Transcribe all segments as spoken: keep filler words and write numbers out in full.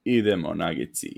Idemo Nagici.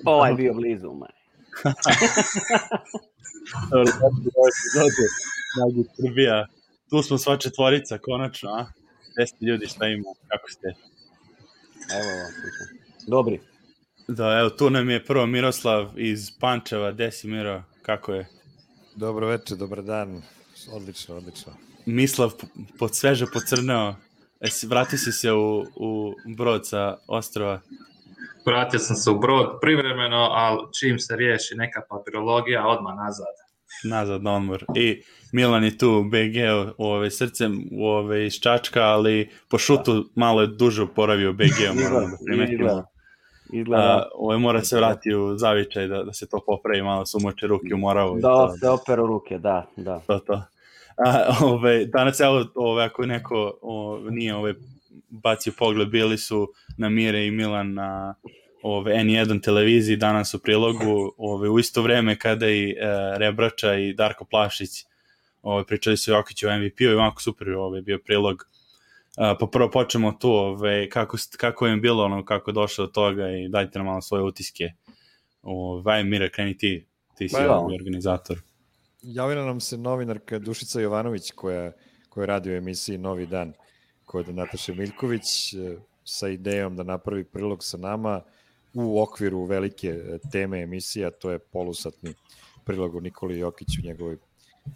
Ovaj bio blizu, maj. Nagi Srbija. Tu smo sva četvorica, konačno, a? Gde ste ljudi, šta ima, kako ste? Evo vam, dobri. Da, evo, tu nam je prvo Miroslav iz Pančeva. Gde si, Miro, kako je? Dobro večer, dobar dan. Odlično, odlično. Mislav pod sveže pocrneo. Vratio si se u, u Brod sa ostrova. Vratio sam se u Brod privremeno, ali čim se riješi neka papirologija, odmah nazad. Nazad na odmor. I Milan je tu u B G-u, ove, srcem u ove, iz Čačka, ali po šutu malo je duže oporavio u B G-u, moramo da primetimo. Izgleda. Ove, mora se vratiti u zavičaj da, da se to popravi, malo su moče ruke u Moravu. Da, se operu ruke, da, da. To, to. A, ove, danas, evo, ove, ako neko ove, nije ove, bacio pogled, bili su na Mire i Milan na ove, N jedan televiziji, danas u prilogu, ove, u isto vreme kada i e, Rebrača i Darko Plašić ove, pričali su Jokiću o M V P-u i ovako super ove, bio prilog. A, pa prvo počnemo tu, ove, kako, kako je bilo, ono, kako je došlo do toga i dajte nam malo svoje utiske. Ove, Mire, kreni ti, ti si ovaj organizator. Javila nam se novinarka Dušica Jovanović koja, koja radi u emisiji Novi dan kod Nataše Miljković sa idejom da napravi prilog sa nama u okviru velike teme emisija, to je polusatni prilog u Nikoli Jokiću u njegovoj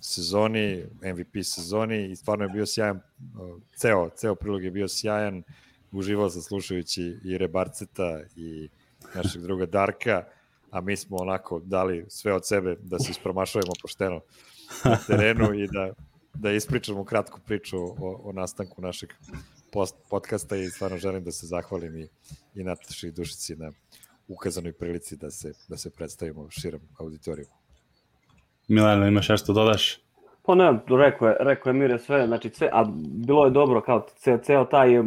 sezoni, M V P sezoni i stvarno je bio sjajan, ceo, ceo prilog je bio sjajan, uživao sam slušajući i Rebarceta i našeg druga Darka, a mi smo onako dali sve od sebe da se ispromašujemo pošteno na terenu i da, da ispričamo kratku priču o, o nastanku našeg post, podcasta i stvarno želim da se zahvalim i, i Nataši i Dušici na ukazanoj prilici da se, da se predstavimo širom auditoriju. Milano, imaš nešto dodaš? Pa ne, rekao je, rekao je Mire sve, znači sve, a bilo je dobro kao ceo, ceo taj uh,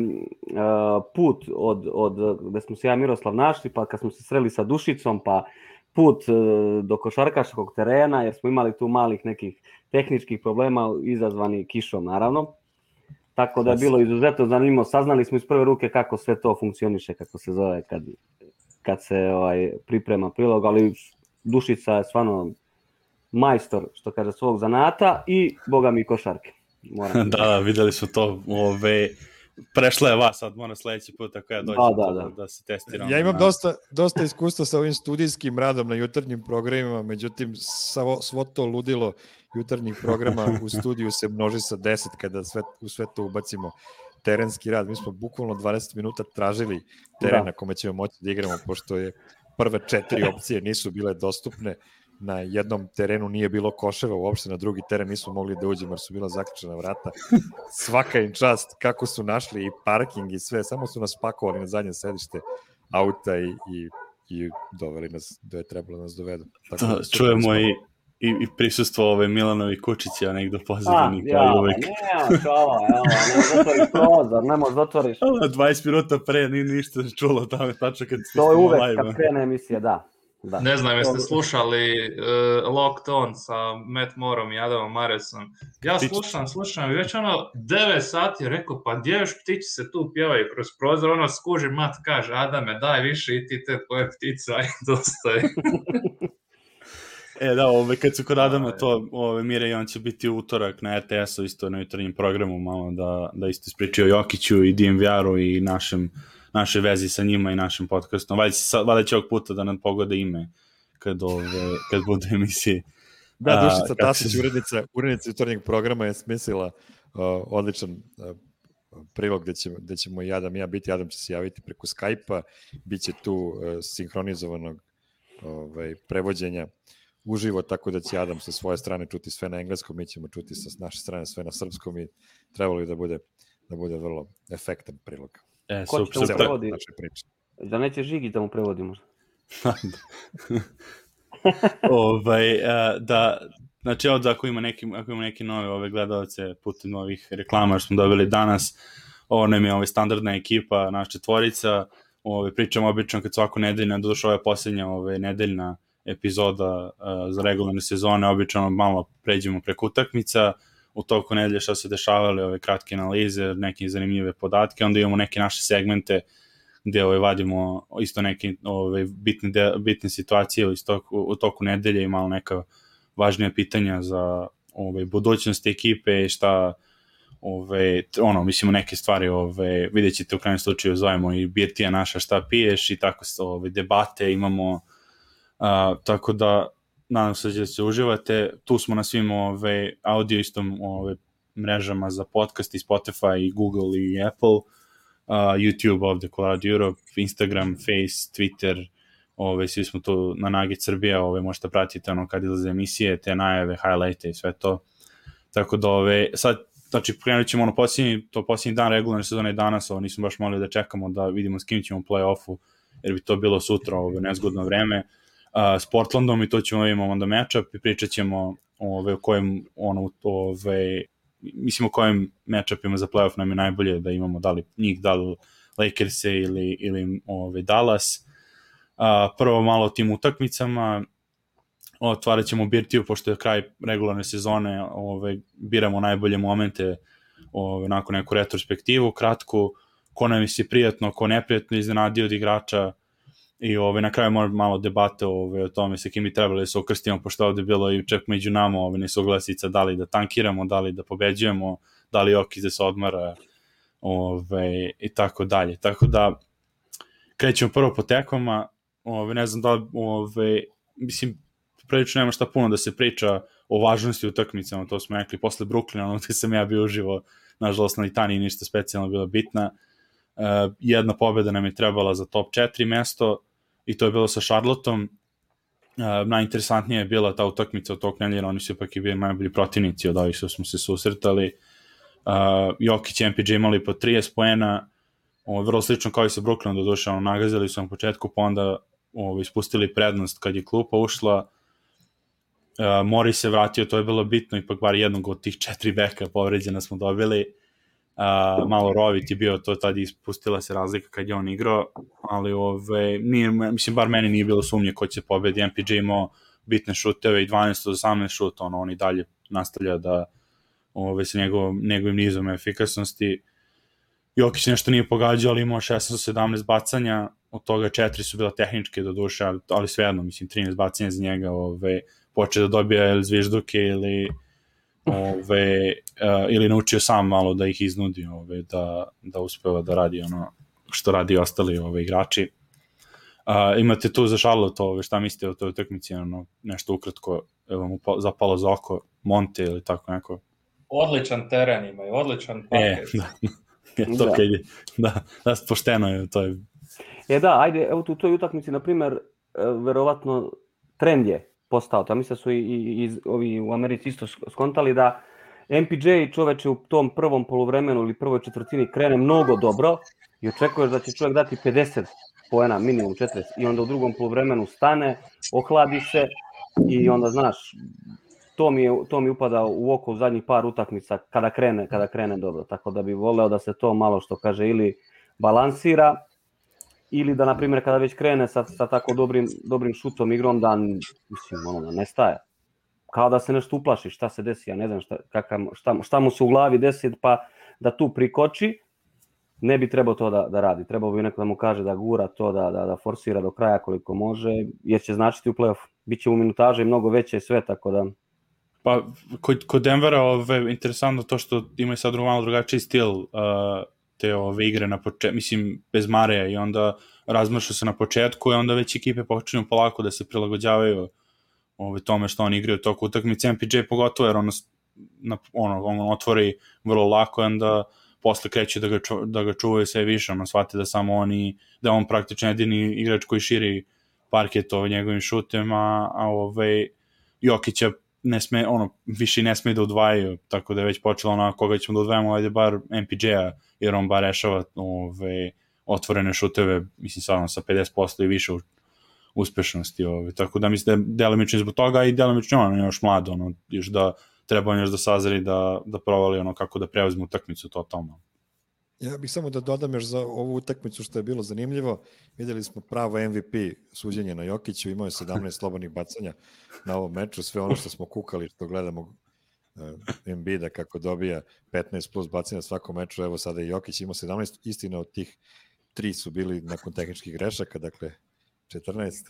put od, od gde smo se ja i Miroslav našli, pa kad smo se sreli sa Dušicom, pa put uh, do košarkaškog terena, jer smo imali tu malih nekih tehničkih problema izazvani kišom, naravno. Tako da je bilo izuzetno zanimljivo. Saznali smo iz prve ruke kako sve to funkcioniše, kako se zove kad, kad se ovaj, priprema prilog, ali Dušica je stvarno majstor, što kaže, svog zanata i boga mi košarke. Moram da, da, videli smo to. Ove, prešla je vas, sad mora sledeći put ako ja dođem da, da, da. da se testiram. Ja imam na... dosta, dosta iskustva sa ovim studijskim radom na jutarnjim programima, međutim, svo, svo to ludilo jutarnjih programa u studiju se množi sa deset kada sve, u sve to ubacimo terenski rad. Mi smo bukvalno dvadeset minuta tražili teren da. na kome ćemo moći da igramo, pošto je prve četiri opcije nisu bile dostupne. Na jednom terenu nije bilo koševa, uopšte na drugi teren nismo mogli da uđemo jer su bila zaključena vrata. Svaka im čast kako su našli i parking i sve, samo su nas pakovali na zadnje sedište auta i, i, i doveli nas da je trebalo nas dovedu. Tako da, da čujemo i, i, i prisustvo ove Milanovi Kučića negdje pozadini. Ja, ja, ne, čala, evo, ne zatvoriš prozor, ne možeš zatvoriš. dvadeset minuta pre nije ništa čulo tamo, tačno kad ti to je uvek live. Kad krene emisija, da. Da. Ne znam, jeste slušali uh, Locked On sa Matt Moorom i Adamom Maresom. Ja slušam, slušam i već ono devet sati rekao, pa gdje još ptići se tu pjevaju kroz prozor, ono skuži Mat kaže, Adame, daj više i ti te tvoje ptice, aj dosta je. E da, ove, kad su kod Adama to, ove, Mire i on će biti utorak na R T S-u isto na jutarnjim programu, malo da, da isto ispričaju o Jokiću i D M V R-u i našem naše vezi sa njima i našim podcastom. Valjda će ovog puta da nam pogode ime kad, ove, kad budu emisije. Da, Dušica Tasić, urednica, urednica jutarnjeg programa je smislila uh, odličan uh, prilog gde, će, gde ćemo i Adam i ja biti. Adam će se javiti preko Skype-a, bit će tu uh, sinhronizovanog ovaj, prevođenja uživo, tako da će Adam sa svoje strane čuti sve na engleskom, mi ćemo čuti sa naše strane sve na srpskom i trebalo bi da bude, da bude vrlo efektan prilog. E, Ko će super, mu prevodi? Da neće Žigi da mu prevodi možda? ovaj, uh, da, znači ovdje ako ima neki, ako ima neki nove ove gledalce putem novih reklama što smo dobili danas, ovo nam je ovaj, standardna ekipa, naša četvorica, ovaj, pričamo obično kad svako nedeljna, došla je posljednja ovaj, nedeljna epizoda uh, za regularne sezone, obično malo pređemo preko utakmica, u toku nedelje što se dešavale, ove kratke analize, neke zanimljive podatke, onda imamo neke naše segmente gdje ovaj, vadimo isto neke ovaj, bitne, de, bitne situacije u toku, u toku nedelje i malo neka važnija pitanja za ovaj, budućnost ekipe i šta ovaj, ono, mislimo neke stvari ovaj, vidjet ćete u krajnjem slučaju zovemo i birtija naša šta piješ i tako ovaj, debate imamo, uh, tako da nadam se da se uživate, tu smo na svim ovaj, audio istom ovaj, mrežama za podcast i Spotify i Google i Apple, Uh, YouTube ovde Colorado Europe, Instagram, Face, Twitter, ove, svi smo tu na Nugget Srbija, ove, možete pratiti ono kad izlaze emisije, te najave, highlighte i sve to. Tako da ove, sad, znači krenut ćemo ono posljednji, to posljednji dan regularne sezone danas, ovo nismo baš mogli da čekamo da vidimo s kim ćemo u play-offu, jer bi to bilo sutra, ove, nezgodno vreme, uh, s Portlandom i to ćemo imamo onda matchup i pričat ćemo ove, u kojem ono, ove, mislim o kojim matchupima za playoff nam je najbolje da imamo, da li njih, da li Lakers-e ili, ili ove, Dallas. Uh, prvo malo o tim utakmicama, otvarat ćemo birtiju, pošto je kraj regularne sezone, ove, biramo najbolje momente ove, nakon neku retrospektivu, kratku, ko nam je prijatno, ko neprijatno iznenadio od igrača i ove, na kraju možemo malo debate ove, o tome sa kim bi trebali da se ukrstimo, pošto ovde bilo i čak među nama ove, nesuglasica, da li da tankiramo, da li da pobeđujemo, da li Jokić da se odmara ove, i tako dalje. Tako da krećemo prvo po tekvama, ove, ne znam da li, ove, mislim, prilično nema šta puno da se priča o važnosti utakmicama, to smo rekli posle Brooklyna, ono gde sam ja bio uživo, nažalost na Litaniji ništa specijalno bila bitna. Uh, jedna pobjeda nam je trebala za top četiri mesto i to je bilo sa Charlotteom. Uh, najinteresantnija je bila ta utakmica od tog nedelja, oni su ipak i bili najbolji protivnici od ovih što smo se susretali. Uh, Jokić i M P J imali po trideset poena, ovo, vrlo slično kao i sa Brooklynom, do duše, ono, nagazili su na početku, pa onda ovo, ispustili prednost kad je klupa ušla. Uh, Morris se vratio, to je bilo bitno, ipak bar jednog od tih četiri beka povređena smo dobili. Uh, malo Rovit je bio, to tada ispustila se razlika kad je on igrao, ali ove, nije, mislim, bar meni nije bilo sumnje ko će pobedi. M P J imao bitne šuteve i dvanaest od osamnaest šuta, ono, on i dalje nastavlja da ove, sa njegov, njegovim nizom efikasnosti. Jokić nešto nije pogađao, ali imao šesnaest od sedamnaest bacanja, od toga četiri su bila tehničke do duše, ali, ali svejedno, mislim, trinaest bacanja za njega, ove, počeo da dobija ili zvižduke ili ove, uh, ili naučio sam malo da ih iznudi, ove, da, da uspeva da radi ono što radi ostali ove, igrači. Uh, imate tu za Charlotte, ove, šta mislite o toj utakmici, ono, nešto ukratko, evo mu zapalo za oko, Monte ili tako neko? Odličan teren imaju, odličan parket. E, da, to da. Kad je, da, da, pošteno je, to je. E da, ajde, evo tu toj utakmici, na primer, verovatno trend je postao, to mislim da su i, i, i ovi u Americi isto skontali da M P J čoveče u tom prvom poluvremenu ili prvoj četvrtini krene mnogo dobro i očekuješ da će čovjek dati pedeset poena, minimum četrdeset, i onda u drugom poluvremenu stane, ohladi se i onda znaš, to mi, je, to mi upada u oko u zadnjih par utakmica kada krene, kada krene dobro, tako da bi voleo da se to malo, što kaže, ili balansira, ili da, na primjer, kada već krene sa, sa tako dobrim, dobrim šutom igrom, da, mislim, ono, da ne staje. Kao da se nešto uplaši, šta se desi, ja ne znam šta, kakav, šta, šta mu se u glavi desi, pa da tu prikoči, ne bi trebao to da, da radi. Trebao bi neko da mu kaže da gura to, da, da, da forsira do kraja koliko može, jer će značiti u play-off. Biće u minutaže mnogo veće i sve, tako da... Pa, kod, kod Denvera, ove, interesantno to što imaju sad malo drugačiji stil, uh... te ove igre na početku, mislim, bez Mareja, i onda razmršu se na početku i onda već ekipe počinju polako da se prilagođavaju ove, tome što oni igraju toku utakmice, M P J pogotovo jer ono, na, ono, on otvori vrlo lako, onda posle kreće da ga, ču, da ga čuvaju sve više, ono shvati da samo oni, da on praktično jedini igrač koji širi parket ovaj njegovim šutem, a, a ovaj Jokića ne sme, ono, više ne sme da udvajaju, tako da je već počelo ono, koga ćemo da udvajamo, ajde bar M P J-a, jer on bar rešava ovaj, otvorene šuteve, mislim sad sa pedeset posto i više uspešnosti, ovaj. Tako da mislim da je delimično zbog toga i delimično ono još mlado, ono, još da treba on još da sazri, da, da provali ono kako da preuzme utakmicu totalno. Ja bih samo da dodam još za ovu utakmicu što je bilo zanimljivo. Vidjeli smo pravo M V P suđenje na Jokiću, imao je sedamnaest slobodnih bacanja na ovom meču, sve ono što smo kukali, što gledamo uh, Embida kako dobija petnaest plus bacanja svakom meču, evo sada i Jokić imao sedamnaest, istina od tih tri su bili nakon tehničkih grešaka, dakle četrnaest.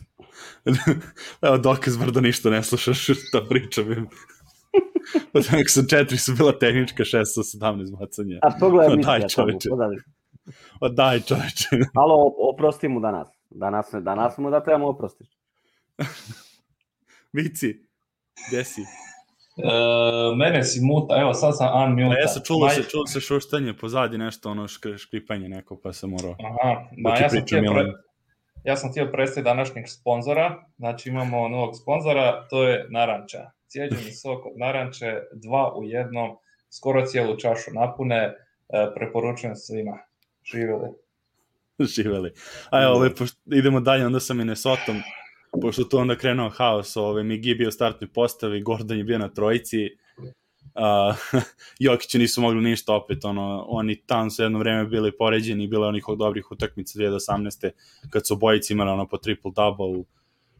Evo dokaz bar da ništa ne slušaš šta pričam. Tako su četiri su bila tehnička, šest su sedamnaest bacanja. A pogledaj mi daj čoveče. O daj čoveče. Alo, oprosti mu danas. Danas, danas mu da trebamo oprostiti. Vici, gdje si? Uh, mene si muta, evo sad sam unmuta. Ja sam čulo se, čulo se šuštanje pozadi, nešto ono šk, škripanje neko, pa sam morao. Aha, ma, ja, sam htio pre, ja sam htio predstaviti današnjeg sponzora, znači imamo novog sponzora, to je Naranča. Cijeđeni sok od naranče, dva u jednom, skoro cijelu čašu napune, preporučujem svima. Živjeli. Živjeli. A evo, ove, pošto idemo dalje onda sa Minnesotom, pošto tu onda krenuo haos, ove, Migi bio u startnoj postavi, Gordon je bio na trojici, uh, Jokiću nisu mogli ništa opet, ono, oni tam su jedno vreme bili poređeni, bilo je onih dobrih utakmica dvije tisuće osamnaeste kad su obojici imali ono po triple-double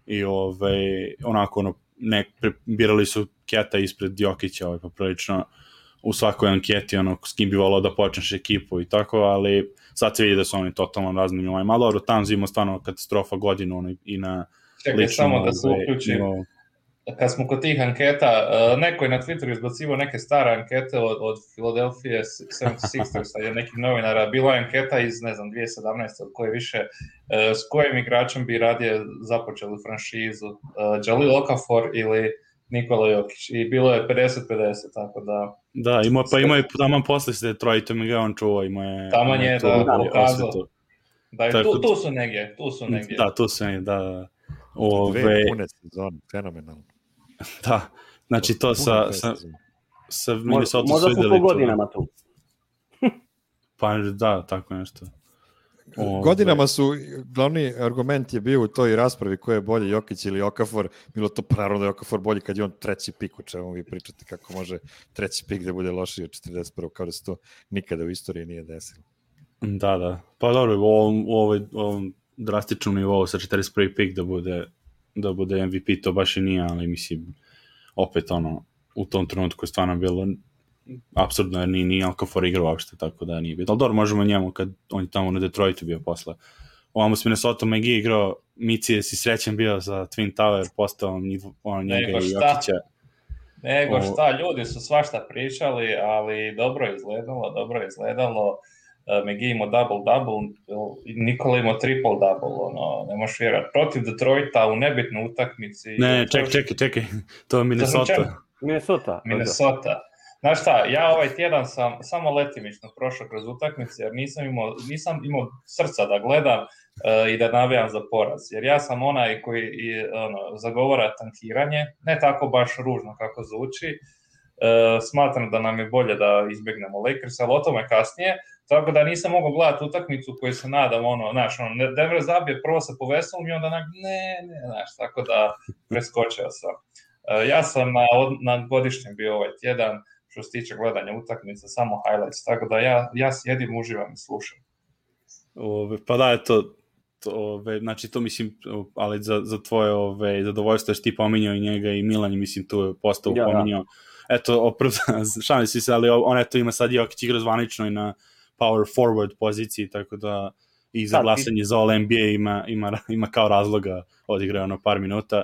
i ove, onako ono, ne, birali su Keta ispred Jokića, ovaj, pa prilično u svakoj anketi, ono, s kim bi volao da počneš ekipu i tako, ali sad se vidi da su oni totalno razni, ovaj, malo dobro, tam zimo stvarno katastrofa godinu, ono, i na Čekaj, ličnom, samo da se uključim, ovaj, kad smo kod tih anketa, neko je na Twitteru izbacivo neke stare ankete od, od Philadelphia sedamdesijet šestersa i nekih novinara, bila je anketa iz, ne znam, dvije tisuće sedamnaeste od koje više, s kojim igračem bi radije započeli franšizu, Jalil Okafor ili Nikola Jokić, i bilo je pedeset pedeset, tako da... Da, ima, pa ima je taman posle se Detroitom ga on čuva, ima je... Taman je, da, da, pokazao. Da, je, tu, tu, tu su negdje, tu su negdje. Da, tu su negdje, da, da. Ove, Dve pune sezone, fenomenalno. Da, znači to sa, sa, sa Minnesota su videli. Možda su po godinama tu. Pa da, tako nešto. Ove. Godinama su, glavni argument je bio u toj raspravi ko je bolji, Jokić ili Okafor, bilo to naravno da je Okafor bolji kad je on treći pik, o čemu vi pričate, kako može treći pik da bude lošiji od četrdeset prvog, kao da se to nikada u istoriji nije desilo. Da, da, pa dobro, u ovom, u ovoj, u ovom drastičnom nivou sa četrdeset prvi pik da bude, da bude M V P, to baš i nije, ali mislim, opet ono, u tom trenutku je stvarno bilo apsurdno, jer nije, nije Okafor igrao uopšte, tako da nije bilo. Ali dobro, možemo njemu kad on je tamo na Detroitu bio posle. Ovamo s Minnesota Megi igrao, Mici je si srećan bio za Twin Tower, postao on njega i Jokića. Nego šta, ljudi su svašta pričali, ali dobro je izgledalo, dobro je izgledalo. Megi imao double-double, Nikola imao triple-double, ono, ne možeš vjerati. Protiv Detroita u nebitnoj utakmici. Ne, čekaj, čekaj, čekaj, to je Minnesota. Minnesota. Minnesota. Znaš šta, ja ovaj tjedan sam samo letimično prošao kroz utakmice, jer nisam imao, nisam imao srca da gledam uh, i da navijam za poraz. Jer ja sam onaj koji i, ono, zagovara tankiranje, ne tako baš ružno kako zvuči. Uh, smatram da nam je bolje da izbjegnemo Lakers, ali o tome kasnije. Tako da nisam mogao gledati utakmicu koju se nadam, ono, znaš, ono, Denver zabije prvo sa poveselom i onda ne, ne, znaš, tako da preskočio sam. Uh, ja sam na, na godišnjem bio ovaj tjedan, što se tiče gledanja utakmice, samo highlights, tako da ja, ja sjedim, uživam i slušam. Ove, pa da, eto, to, ove, znači to mislim, ali za, za tvoje ove, zadovoljstvo što ti pominjao i njega i Milan, mislim, tu je postao ja, pominjao. Ja. Eto, opravda, šalim si se, ali on eto ima sad Jokić igra zvanično i na power forward poziciji, tako da i za glasanje za All N B A ima, ima, ima kao razloga odigrao ono par minuta,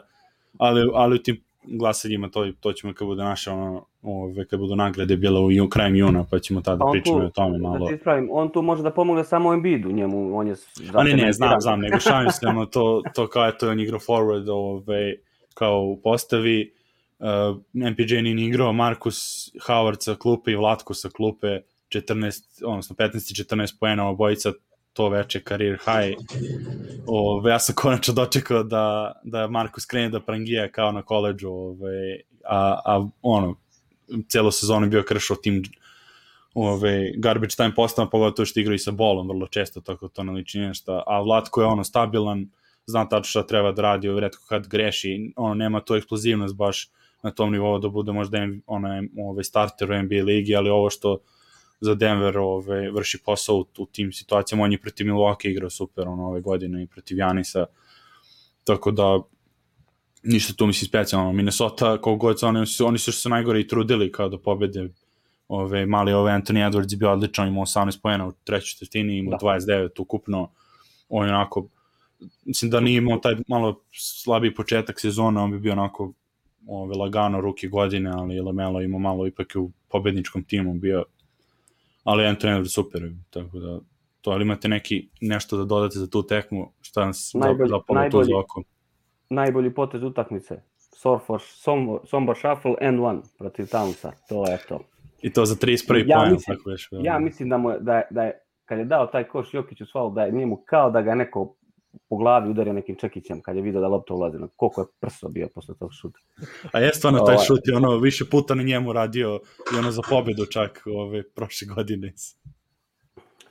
ali, ali u tim glasanjima to, to ćemo kad bude naše ono, ove, kad budu nagrade bilo u krajem juna, pa ćemo tada pričamo o tome malo. Da ispravim, on tu može da pomogne samo Embiidu, njemu, on je... A ne, ne, znam, znam, nego šalim se, ono, to, to kao je to on igrao forward, ove, kao u postavi, uh, M P J nije igrao, Marcus Howard sa klupe i Vlatko sa klupe, četrnaest, odnosno petnaest i četrnaest poena, obojica to veče career high. Ove, ja sam konačno dočekao da, da Marcus krene da prangija kao na koleđu, ove, a, a ono, celo sezonu je bio kršao tim ove, garbage time postavama, pogotovo što igra i sa bolom vrlo često, tako to ne liči nešto, a Vlatko je ono stabilan, zna tačno šta treba da radi, ove, retko kad greši, ono, nema tu eksplozivnost baš na tom nivou da bude možda ono, ove, starter u N B A ligi, ali ovo što za Denver ove, vrši posao u, u tim situacijama, on je protiv Milwaukee igrao super ono, ove godine i protiv Janisa, tako da ništa tu mislim specijalno. Minnesota, koliko god oni, oni su se najgore i trudili kao da pobede, ove, mali ove Anthony Edwards je bio odličan, imao osamnaest poena u trećoj četvrtini, imao dvadeset devet ukupno, on je onako, mislim da nije imao taj malo slabiji početak sezona, on bi bio onako ove, lagano ruki godine, ali LaMelo imao malo ipak u pobedničkom timu bio, ali Anthony Edwards super, tako da to, ali imate neki nešto da dodate za tu tekmu, šta nas najbolji, da pomoći tu za oko? Najbolji potez utakmice, Sombor, Sombor Shuffle and one protiv Townsa, to je to. I to za trideset prvi ja poen, mislim, tako već. Ja mislim da, mu je, da, je, da je, kad je dao taj koš Jokiću svalu, da je njemu kao da ga neko po glavi udario nekim čekićem, kad je vidio da lopta ulazi, koliko je prso bio posle tog šuta. A je stvarno taj šut je ono više puta na njemu radio i ono za pobedu čak ove prošle godine.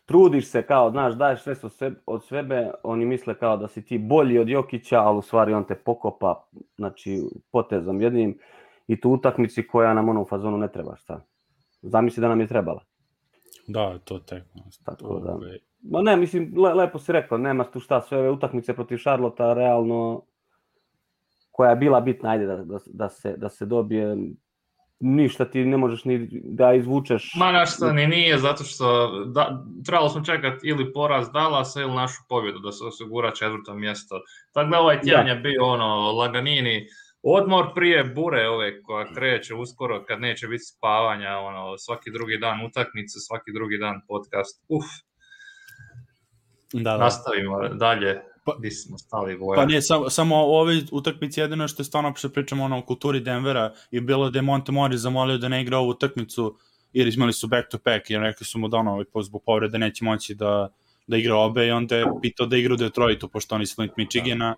Trudiš se kao, znaš, daješ sve od sebe, oni misle kao da si ti bolji od Jokića, ali u stvari on te pokopa, znači, potezom jednim i tu utakmici koja nam ono u fazonu ne treba, šta? Zamisli da nam je trebala. Da, to tek. Tako da. Ma ne, mislim, le, lepo si rekao, nema tu šta, sve ove utakmice protiv Charlotta, realno, koja je bila bitna, ajde da, da, da, se, da se dobije, ništa ti ne možeš ni da izvučeš. Ma našta ni nije, zato što da, trebalo smo čekati ili poraz Dallasa ili našu pobjedu da se osigura četvrto mjesto. Tako da ovaj tjedan je bio ono, laganini, odmor prije bure ove koja kreće uskoro kad neće biti spavanja, ono, svaki drugi dan utakmice, svaki drugi dan podcast. Uf. Da, da. Nastavimo dalje. Pa, gdje smo stali goja. Pa nije, samo, samo u ovoj utakmici jedino što je stvarno što pričamo ono, o kulturi Denvera je bilo da je Monte Morris zamolio da ne igra ovu utakmicu jer imali su back to back jer rekli su mu da ono, zbog povrede neće moći da, da igra obe i onda je pitao da igra u Detroitu pošto oni su Flint Michigana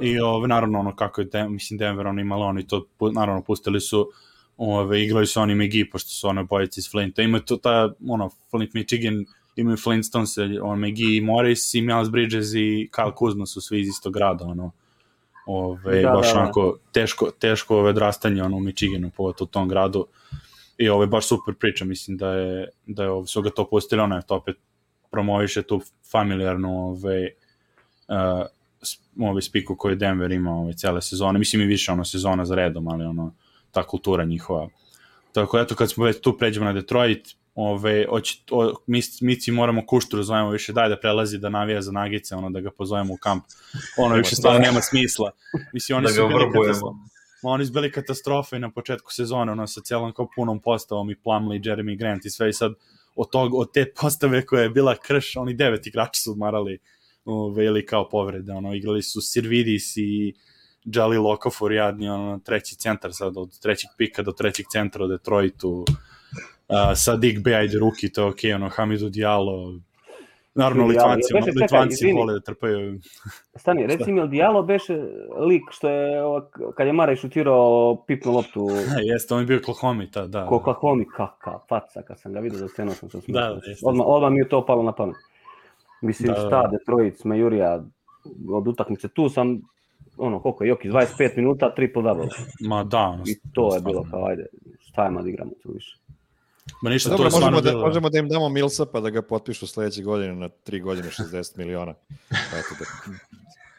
i ove, naravno ono kako je Den, mislim Denver ono imalo oni to naravno pustili su ove, igrali su oni McGee pošto su ono bojici iz Flinta ima to ta ono Flint Michigan imaju Flintstones, on McGee i Morris i Miles Bridges i Kyle Kuzma su svi iz istog grada, ono, ove, da, baš da, onako teško, teško ove odrastanje ono, u Michiganu, pogotovo u tom gradu i ovo je baš super priča, mislim da je, da je ovo, su ga to pustili, ono je to opet promoviše tu familijarnu ove, uh, ove spiku koju Denver ima ove cele sezone, mislim i više ono sezona za redom, ali ono, ta kultura njihova. Tako eto, kad smo već tu pređemo na Detroit, Ove, oći, o, mi, mi moramo Kušturu zovemo više daj da prelazi da navija za Nagice, ono da ga pozovemo u kamp, ono više stvarno nema smisla, mislim oni su bili katastrofe, oni su bili katastrofe na početku sezone, ono sa cijelom kao punom postavom i Plumlee, Jeremy Grant i sve i sad od, tog, od te postave koja je bila krš, oni devet igrači su odmarali ove, ili kao povrede, ono igrali su Sirvidis i Jalil Okafor jadni, ono treći centar sad od trećeg pika do trećeg centra u Detroitu. Uh, Sadik Bey, ajde ruki, to je okej, okay, ono, Hamidou Diallo, naravno Litvanci, ono, Litvanci vole da trpaju. Stani, reci mi, jel Diallo beše lik što je, kad je Mare šutirao pipnu loptu? Jeste, on je bio Oklahoma, ta, da. Ko Oklahoma, kaka, faca, kad sam ga vidio za scenu, sam se da, odmah, odmah mi je to palo na pamet. Mislim, da, šta, Detroit, Smejurija, od utakmice, tu sam, ono, koliko je, Jokić, dvadeset pet minuta, triple double. Ma da. Ono, i to je bilo kao, ajde, šta je ma da igramo tu više. Ma ništa, dobro, to je možemo, da, bilo... možemo da im damo Milsa pa da ga potpišu sledeće godine na tri godine šezdeset miliona. Eto da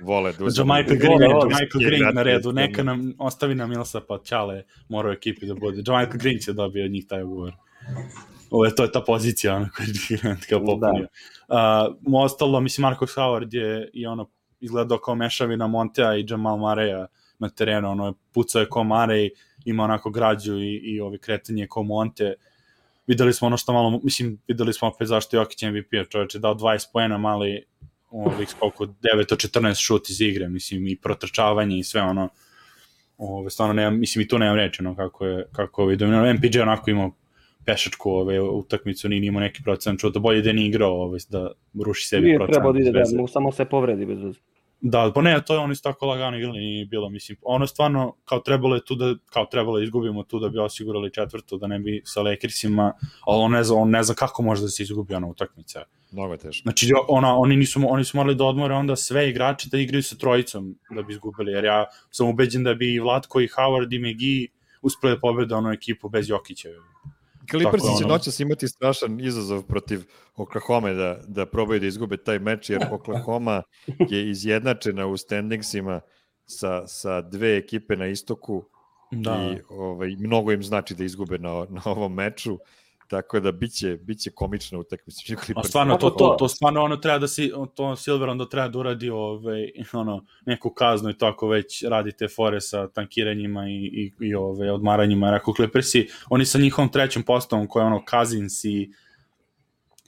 vole da uzme. Michael Green, Michael Green na redu, neka nam ostavi nam Milsa pa Čale mora u ekipi da bude. Michael Green će dobiti od njih taj ugovor. Ovo je, to je ta pozicija ono koja je Grant kao popunio. Uh, ostalo, mislim, Marcus Howard je i ono izgledao kao mešavina Montea i Jamal Mareja na terenu, ono pucao je kao Marej, ima onako građu i, i ovi kretanje kao Monte. Videli smo ono što malo, mislim, videli smo opet zašto je Jokić M V P, čovječ je dao dvadeset poena, mali ovih koliko devet od četrnaest šut iz igre, mislim, i protrčavanje i sve ono, ove, stvarno nemam, mislim i tu nemam reći, no, kako je, kako je dominirano. M P J onako imao pešačku ove, utakmicu, nije imao neki procent, čuo da bolje da nije igrao, ove, da ruši sebi nije procent. Nije trebao da ide, da, samo se povredi bez veze. Da, pa ne, to je oni su tako lagano igrali, nije bilo, mislim, ono stvarno, kao trebalo je tu da, kao trebalo je izgubimo tu da bi osigurali četvrtu, da ne bi sa Lakersima, ali on ne zna, on ne zna kako može da se izgubi ona utakmica. Mnogo je teško. Znači, ona, oni, nisu, oni su morali da odmore onda sve igrače da igraju sa trojicom da bi izgubili, jer ja sam ubeđen da bi i Vlatko i Howard i McGee uspeli pobede onu ekipu bez Jokića. Clippersi će ono... noćas imati strašan izazov protiv Oklahoma da, da probaju da izgube taj meč, jer Oklahoma je izjednačena u standingsima sa, sa dve ekipe na istoku da. I ovaj, mnogo im znači da izgube na, na ovom meču, tako da biće, biće komična utakmica. A stvarno, to, to, to stvarno ono treba da si, to Silver onda treba da uradi ovaj, ono, neku kaznu i tako već radite fore sa tankiranjima i, i, i ovaj, odmaranjima. Jer ako Clippersi, oni sa njihovom trećom postavom koja je ono Cousins i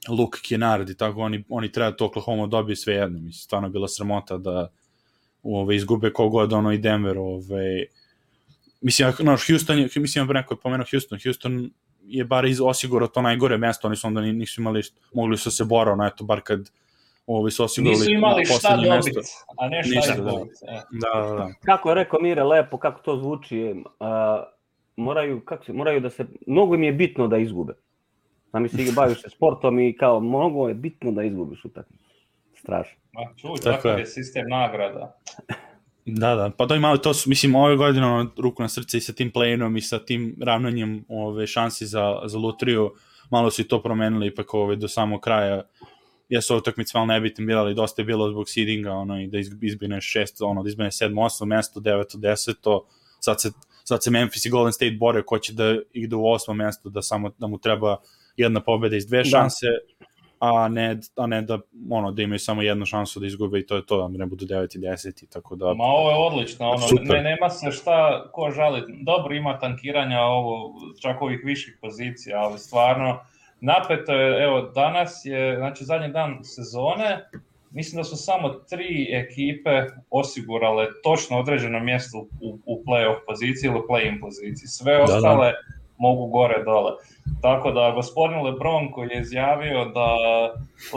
Luke Kennard i tako, oni, oni treba to Oklahoma dobije sve jedno. Mislim, stvarno je bila sramota da ovaj, izgube kogod ono i Denver. Ovaj, mislim, no, Houston, mislim, neko je pomenuo Houston, Houston je bar iz osigurao to najgore mesto, oni su onda nisu imali, mogli su se borao, no eto, bar kad ovi su osigurali nisu imali šta dobiti, a ne šta izgubiti. Da, da, da. Kako je rekao Mire, lepo, kako to zvuči, uh, moraju, kako se, moraju da se, mnogo im je bitno da izgube. Znam si baviš se sportom i kao, mnogo je bitno da izgubiš utakmicu. Strašno. Ma čuj, takav je sistem nagrada. Da, da, pa da imali to, mislim, ove godine ono, ruku na srce i sa tim play-inom i sa tim ravnanjem ove, šansi za, za lutriju, malo su i to promenili ipak ove, do samog kraja. Jesu utakmice malo nebitne bila, ali dosta je bilo zbog seedinga, ono, i da izbine šest, ono, da izbine sedmo, osmo mesto, deveto, deseto, sad se, sad se Memphis i Golden State bore ko će da ide u osmo mesto, da, samo, da mu treba jedna pobeda iz dve šanse, da. A ne, a ne da, ono, da imaju samo jednu šansu da izgube i to je to, da ne budu devet i deset i tako da... Ma ovo je odlično, ono, ne, nema se šta ko žaliti. Dobro ima tankiranja ovo, čak ovih viših pozicija, ali stvarno napeto je, evo, danas je, znači zadnji dan sezone, mislim da su samo tri ekipe osigurale točno određeno mjesto u, u play-off poziciji ili play-in poziciji. Sve ostale da, da. mogu gore dole. Tako da gospodin LeBron koji je izjavio da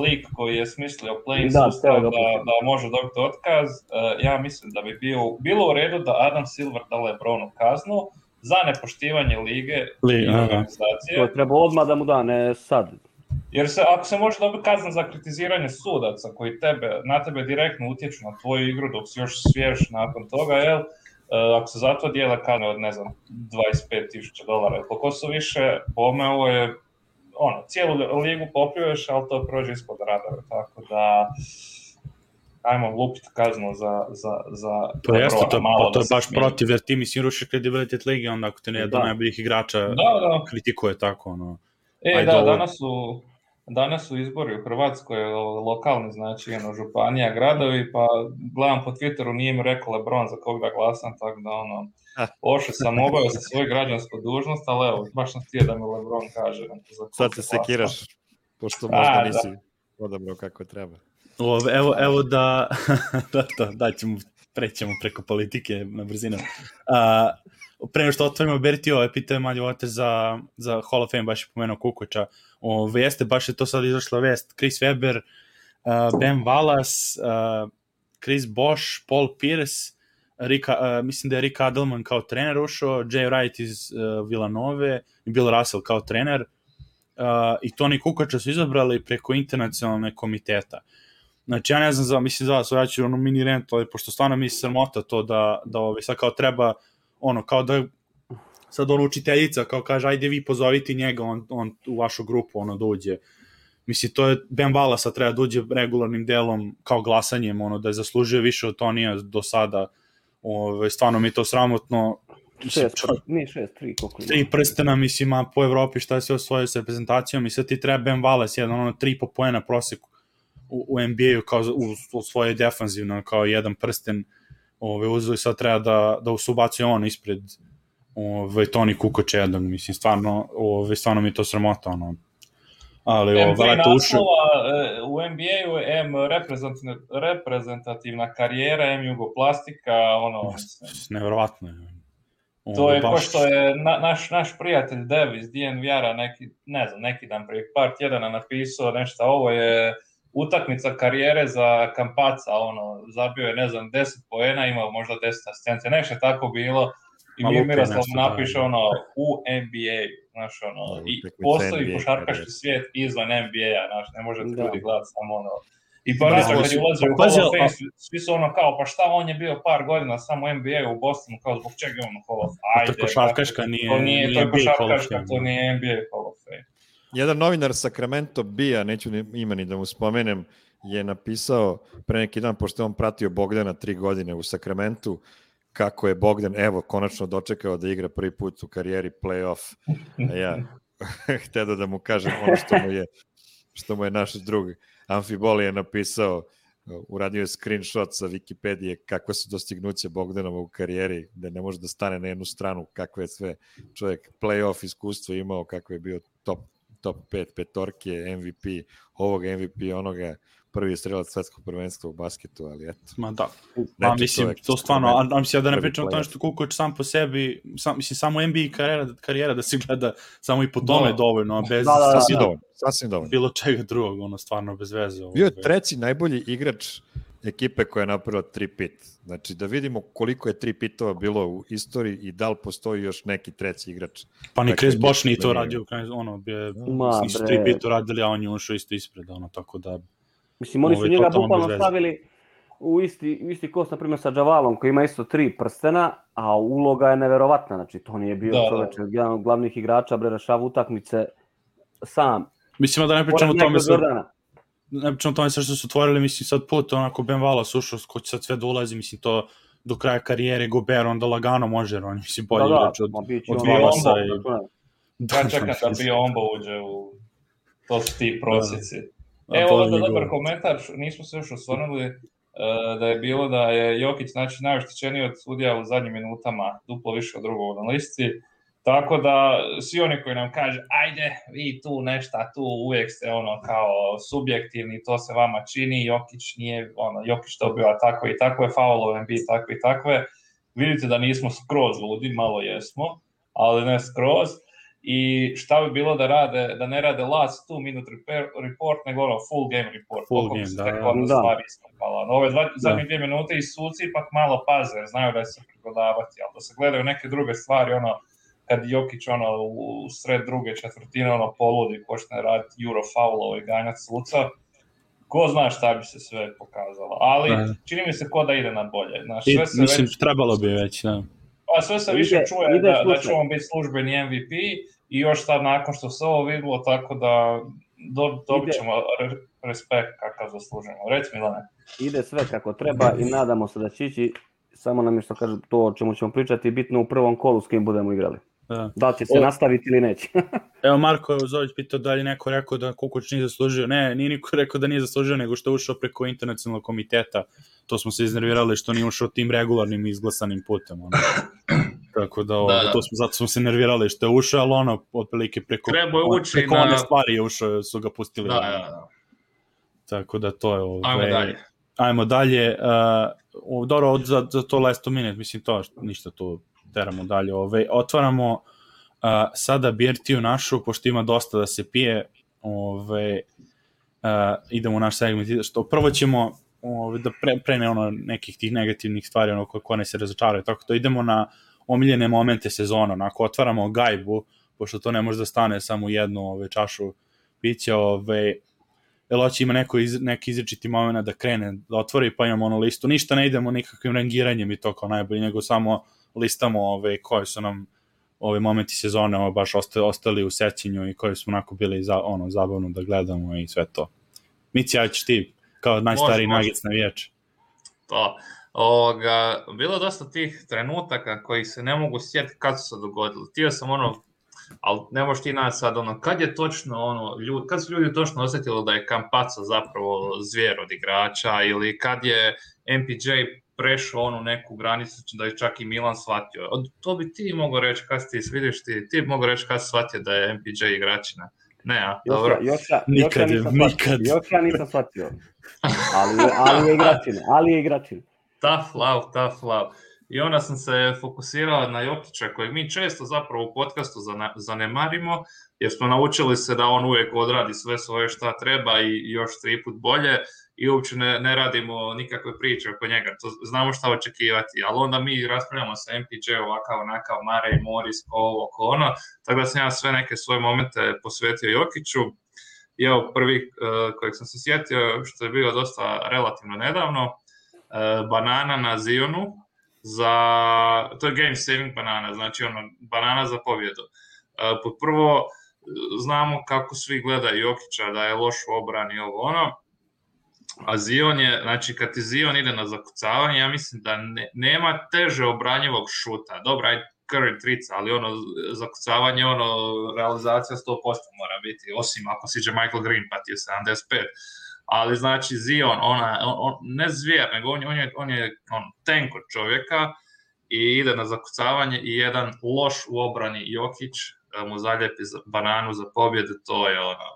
lik koji je smislio play-in da, sustav da, da može dobiti otkaz, ja mislim da bi bio, bilo u redu da Adam Silver da LeBronu kaznu za nepoštivanje lige Li, i organizacije. To je treba odmah da mu da, ne sad. Jer se, ako se može dobiti kazna za kritiziranje sudaca koji tebe, na tebe direktno utječu na tvoju igru dok si još svjež nakon toga, jel? Ako se zato dijele kazne od, ne znam, dvadeset pet tisuća dolara, koliko su više, pome ovo je, ono, cijelu ligu popljuješ, ali to prođe ispod radara, tako da ajmo lupiti kaznu za, za, za to jeste, to, malo to je baš smijeni. Protiv, jer ti mislim rušiš kredibilitet lige, onda ako te ne jedan najboljih igrača da, da. kritikuje tako, ono. E, Ajde, da, ovo... danas su, danas su izbori u Hrvatskoj, lokalni, znači, jedno, županija, gradovi, pa gledam po Twitteru, nije mi rekao LeBron za kog da glasam, tako da, ono, ošao sam, obavio sa svoju građansku dužnost, ali evo, baš sam htio da mi LeBron kaže. Sad se sekiraš, pošto možda nisi odabrao kako treba. O, evo, evo da, da, da, da ćemo, prećemo preko politike na brzinu. A, pre nego što otvorimo Berti, ove pitaju Malje Ote za, za Hall of Fame, baš je pomenuo Kukoča. Ove, jeste, baš je to sad izašla vest. Chris Webber, uh, Ben Wallace, uh, Chris Bosh, Paul Pierce, Rika, uh, mislim da je Rick Adelman kao trener ušao, Jay Wright iz uh, Villanove i Bill Russell kao trener. Uh, I Toni Kukoča su izabrali preko internacionalne komiteta. Znači, ja ne znam, za, mislim za vas, ja ću ono mini rent, ali pošto stvarno mi se sramota to da, da ovaj, sad kao treba, ono, kao da sad ono učiteljica, kao kaže, ajde vi pozovite njega, on, on u vašu grupu, ono, da uđe. Mislim, to je, Ben Wallace treba da uđe regularnim delom, kao glasanjem, ono, da je zaslužio više od Tonija do sada, ovaj, stvarno mi je to sramotno. Šest, nije šest, tri, koliko ima. Tri prstena, mislim, a po Evropi šta je sve osvojio s reprezentacijom i sad ti treba Ben Wallace, jedan, ono, tri po poena proseku u, u N B A-u kao u, u svojoj defanzivno, kao jedan prsten ove, uzeo i sad treba da, da usubacuje on ispred ove, Toni Kukoč jednog, mislim, stvarno, ove, stvarno mi je to sramota, ono. Ali, M tri naslova u N B A-u, M reprezentativna karijera, M jugoplastika, ono... Nevjerovatno je. To je baš... ko što je na, naš, naš prijatelj Dev iz D N V R-a neki, ne znam, neki dan prije par tjedana napisao nešto, ovo je utakmica karijere za Campazza, ono, zabio je, ne znam, deset poena, imao možda deset asistencija, nešto je tako bilo. I mi Miroslav napiše ono u N B A, znaš ono, no, i postoji košarkaški svijet izvan N B A, znaš, ne može ljudi gledati samo ono. I pa naša kad je ulazio u Hall of Fame, svi su ono kao, pa šta on je bio par godina samo u N B A u Bostonu, kao zbog čega je on u Hall of Fame. Ajde, to košarkaška nije, to nije, nije to je košarkaška, to nije N B A Hall of Fame. Jedan novinar Sacramento Bija, neću ima ni da mu spomenem, je napisao pre neki dan, pošto on pratio Bogdana tri godine u Sacramentu, kako je Bogdan, evo, konačno dočekao da igra prvi put u karijeri play-off. A ja hteo da mu kažem ono što mu je, što mu je naš drug Amfiboli je napisao, uradio je screenshot sa Wikipedije kakve su dostignuće Bogdanova u karijeri, da ne može da stane na jednu stranu, kakve je sve čovjek play-off iskustvo imao, kako je bio top, top pet petorke, M V P, ovoga M V P, onoga, prvi strelac svetskog prvenstva u basketu, ali eto. Ma da, ma mislim, to stvarno, a, a mislim ja da ne pričam o tome što Kukoč sam po sebi, sam, mislim, samo N B A karijera, karijera da se gleda samo i po tome no. dovoljno, bez da, da, da, sasvim, da. Dovoljno, sasvim dovoljno. Bilo čega drugog, ono, stvarno bez veze. Bio je treći najbolji igrač ekipe koja je napravila tri pit. Znači, da vidimo koliko je tri pitova bilo u istoriji i da li postoji još neki treći igrač. Pa ni Chris Bosh nije to radio, ono, je, nisu tri pita radili, a on je ušao isto ispred, ono, tako da... Mislim, oni su njega bukvalno stavili u isti, u isti kost, na primjer, sa Javalom, koji ima isto tri prstena, a uloga je neverovatna. Znači, to nije bio čovječ, jedan od glavnih igrača, bre, rešava utakmice sam. Mislim, da ne pričamo o tome sa... Ne pričamo o tome sa što su otvorili, mislim, sad put, onako, Ben Wallace ušao, ko će sad sve da ulazi, mislim, to do kraja karijere Gobert, onda lagano može, on mislim, bolji igrač od, od Wallacea. I... Ja čekam da Biombo uđe u... To su ti prosjeci. Evo ovdje dobar komentar, nismo se još osvrnuli uh, da je bilo da je Jokić znači, najoštećeniji od sudija u zadnjim minutama, duplo više od drugog na listi, tako da svi oni koji nam kaže ajde vi tu nešta, tu uvijek ste ono kao subjektivni, to se vama čini, Jokić nije, ono, Jokić to bila tako i takve, faulove bi takve i takve, vidite da nismo skroz ludi, malo jesmo, ali ne skroz. I šta bi bilo da rade, da ne rade last two minute report, nego ono full game report. Full game, da, da, da. Stvari iskopala. Ove dva, zadnje dvije minute i suci ipak malo paze, znaju da se prigodavati, ali da se gledaju neke druge stvari, ono, kad Jokić ono, u sred druge četvrtine ono, poludi, počne raditi Eurofoulove i ganjati suca, ko zna šta bi se sve pokazalo. Ali da. Čini mi se ko da ide na bolje. Znaš, sve se mislim, već... trebalo bi već, da. A sve se više ide, čuje ide da, da će on biti službeni M V P i još sad nakon što se ovo vidilo, tako da do, dobit ćemo re, respekt kakav zaslužujemo. Reci Milane. Ide sve kako treba i nadamo se da će ići, samo nam je što kaže to o čemu ćemo pričati, bitno u prvom kolu s kim budemo igrali. Da, da će se o... nastaviti ili neće. Evo Marko Zović pitao da li neko rekao da Kukoč nije zaslužio. Ne, nije niko rekao da nije zaslužio, nego što je ušao preko internacionalnog komiteta. To smo se iznervirali što nije ušao tim regularnim izglasanim putem. Ono. Tako da, ovo, da, da. To smo, zato smo se nervirali što je ušao, ali ono, otprilike preko, on, preko na... one stvari je ušao, su ga pustili. Da, da, da. Tako da to je ovo. Ajmo ve... dalje. Ajmo dalje. Uh, dobro, za, za to last minute, mislim to, ništa tu teramo dalje. Ove, otvaramo uh, sada birtiju našu, pošto ima dosta da se pije. Ove, uh, idemo u naš segment. Što prvo ćemo ove, da pre, prene ono nekih tih negativnih stvari, ono ko, ko ne se razočaraju. Tako to idemo na omiljene momente sezona. Onako, otvaramo gajbu, pošto to ne može da stane samo u jednu ove, čašu pića. Ove, Eloći ima neko iz, neki izričiti moment da krene, da otvori, pa imamo ono listu. Ništa ne idemo nikakvim rangiranjem i to kao najbolji, nego samo listamo ove, koji su nam ove momenti sezone ove, baš ostali, ostali u sećenju i koji smo onako bili za, ono, zabavno da gledamo i sve to. Mici, ja ćeš ti kao najstariji Nuggets navijač. To. Ovoga, bilo dosta tih trenutaka koji se ne mogu sjetiti kad su se dogodili. Tio sam ono, ali ne možeš ti naći sad ono, kad je točno ono, ljudi, kad su ljudi točno osjetili da je Campazzo zapravo zvijer od igrača ili kad je M P J prešao onu neku granicu da je čak i Milan shvatio. To bi ti mogao reći kad ti vidiš ti, ti bi mogao reći kad shvatio da je M P J igračina. Ne, a, dobro. Još ja, nikad, još ja nikad. Još ja nisam shvatio. Ali, ali je igračina, ali je igračina. Tough love, tough love. i onda sam se fokusirao na Jokića, kojeg mi često zapravo u podcastu zanemarimo, jer smo naučili se da on uvijek odradi sve svoje šta treba i još tri put bolje i uopće ne, ne radimo nikakve priče oko njega, to znamo šta očekivati, ali onda mi raspravljamo sa M P J ovakav, onakav, Murray, Morris, ovo, oko ono, tako da sam ja sve neke svoje momente posvetio Jokiću. I evo prvi uh, kojeg sam se sjetio, što je bio dosta relativno nedavno, uh, banana na Zionu, za, to je game saving banana, znači ono, banana za pobjedu. Uh, pod prvo, znamo kako svi gledaju Jokića, da je loš u obrani i ovo ono, a Zion je, znači kad ti Zion ide na zakucavanje, ja mislim da ne, nema teže obranjivog šuta. Dobra, aj Curry trica, ali ono, zakucavanje, ono, realizacija sto posto mora biti, osim ako siđe Michael Green pa ti je sedamdeset pet. Ali znači Zion, ona, on, on, ne zvijer, nego on, on je, on je on, tank od čovjeka i ide na zakucavanje i jedan loš u obrani Jokić mu zaljepi bananu za pobjedu, to je ono,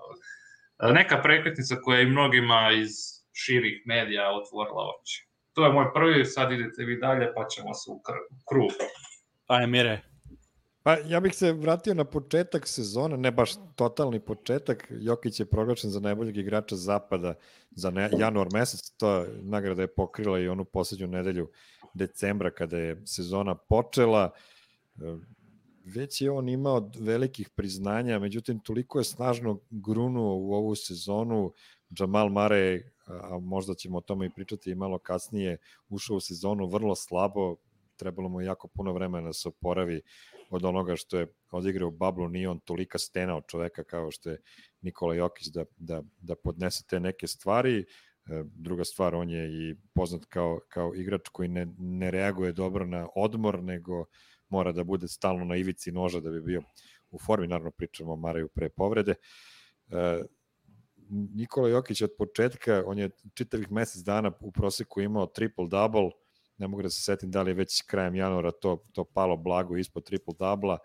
neka prekretnica koja je i mnogima iz širih medija otvorila oči. To je moj prvi, sad idete vi dalje pa ćemo se u krug. Aj, Mire. Pa ja bih se vratio na početak sezona, ne baš totalni početak. Jokić je proglašen za najboljeg igrača zapada za ne, januar mesec, to nagrada je pokrila i onu poslednju nedelju decembra kada je sezona počela. Već je on imao velikih priznanja, međutim toliko je snažno grunuo u ovu sezonu. Jamal Murray, a možda ćemo o tome i pričati i malo kasnije, ušao u sezonu vrlo slabo, trebalo mu jako puno vremena da se oporavi od onoga što je odigrao u bablu, nije on tolika stena od čoveka kao što je Nikola Jokić da, da, da podnese te neke stvari. Druga stvar, on je i poznat kao, kao igrač koji ne, ne reaguje dobro na odmor, nego mora da bude stalno na ivici noža da bi bio u formi, naravno pričamo o Maraju pre povrede. E, Nikola Jokić od početka, on je čitavih mesec dana u proseku imao triple-double, ne mogu da se setim da li je već krajem januara to, to palo blago ispod triple-double-a,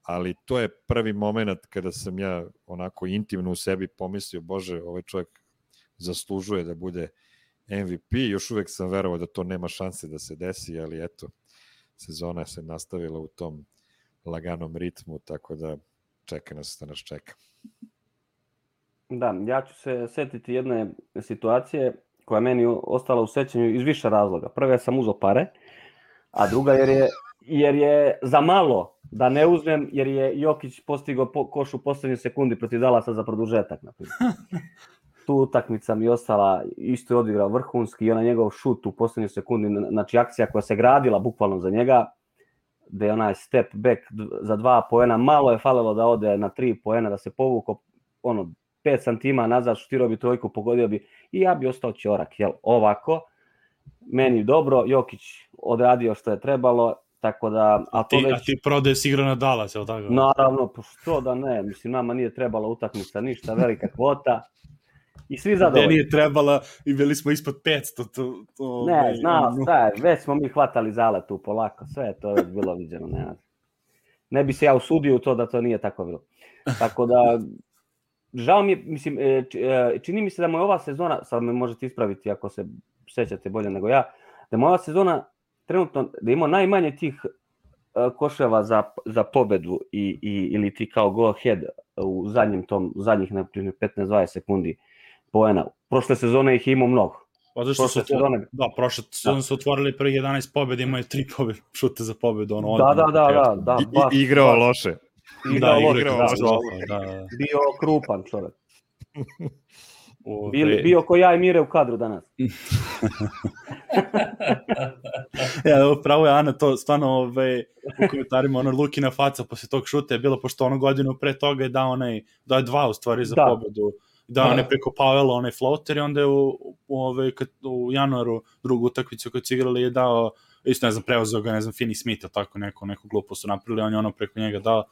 ali to je prvi moment kada sam ja onako intimno u sebi pomislio, bože, ovaj čovjek zaslužuje da bude M V P, još uvek sam verovao da to nema šanse da se desi, ali eto, sezona se nastavila u tom laganom ritmu, tako da čeka nas da nas čeka. Da, ja ću se setiti jedne situacije koja meni ostala u sećanju iz više razloga. Prva sam uzeo pare, a druga jer je, jer je za malo da ne uzmem, jer je Jokić postigao po, koš u poslednjoj sekundi protiv Dallasa za produžetak. Tu utakmica mi ostala, isto je odigrao vrhunski i ona njegov šut u poslednjoj sekundi, znači akcija koja se gradila bukvalno za njega, da je onaj step back za dva poena, malo je falilo da ode na tri poena, da se povuko ono, pet santima nazad, šutirao bi trojku, pogodio bi i ja bi ostao ćorak, jel, ovako, meni dobro, Jokić odradio što je trebalo, tako da... A, a ti, već... ti prodaješ igra na Dallas, jel tako? Naravno, pa što da ne, mislim, nama nije trebala utakmica ništa, velika kvota, i svi zadovoljni. Ne nije trebala i bili smo ispod petsto. To, to, ne, znao, šta je, već smo mi hvatali zale tu polako, sve je to već bilo viđeno, ne, ne bi se ja usudio u to da to nije tako bilo. Tako da, žao mi je, mislim, čini mi se da mu je ova sezona, sad me možete ispraviti ako se sećate bolje nego ja, da mu ova sezona trenutno, da ima najmanje tih koševa za, za pobedu i, i, ili ti kao go ahead u zadnjim tom, zadnjih petnaest dvadeset sekundi poena. Prošle sezone ih imao mnogo. Pa zašto su sezone... Da, prošle sezone su otvorili prvih jedanaest pobjeda, imaju tri pobjede, šute za pobedu. Ono, da, da, da, da, da. I, igrao loše. Igrao da, loše, igrao da, loše. Da, da. Bio krupan čovjek. Bio, bio ko ja i Mire u kadru danas. Ja, pravo je Ana, to stvarno ove, u komentarima, ono Lukina faca posle tog šuta je bilo, pošto ono godinu pre toga je dao onaj, dao je dva u stvari za da. pobedu, dao on je preko Pavela onaj floater i onda je u, u, ove, kad, u januaru drugu utakmicu kad su igrali je dao, isto ne znam, preuzeo ga, ne znam, Finney Smith, tako neko, neku glupo su napravili, on je ono preko njega dao,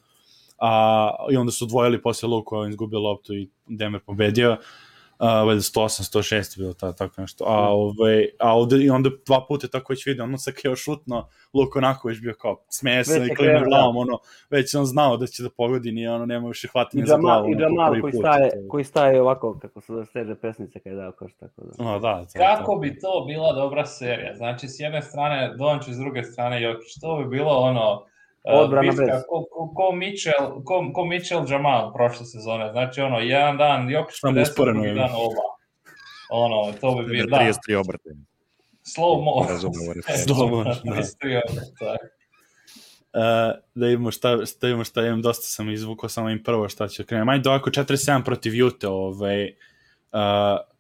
a, i onda su dvojili posle Luku, on izgubio loptu i Denver pobedio. Uh, valjda sto osam, sto šest bilo ta, tako nešto. A, ovaj, a ovde, i onda dva puta tako već vidio, ono se kao šutno, Luka onako već bio kao smesan i klima glavom, ono, već on znao da će da pogodi, nije ono, nema više hvatanja za glavu. I Jamal koji staje, koji staje ovako, kako se steže pesnice kada je dao koš, tako da. No, da, to, kako to. bi to bila dobra serija? Znači, s jedne strane Dončić, s druge strane Jokić, to bi bilo ono, odbrana bitka, bez. Ko, ko, ko, Mitchell, ko, ko Mitchell Jamal prošle sezone. Znači, ono, jedan dan Jokić pedeset, drugi dan oba. Ono, to bi bilo, da. trideset tri obrte. Slow mo. Slow mo, da. Uh, da imamo šta, da imamo šta imam, dosta sam izvukao, samo im prvo šta će krenuti. Majde ovako četrdeset sedam protiv Ute, ovaj, uh,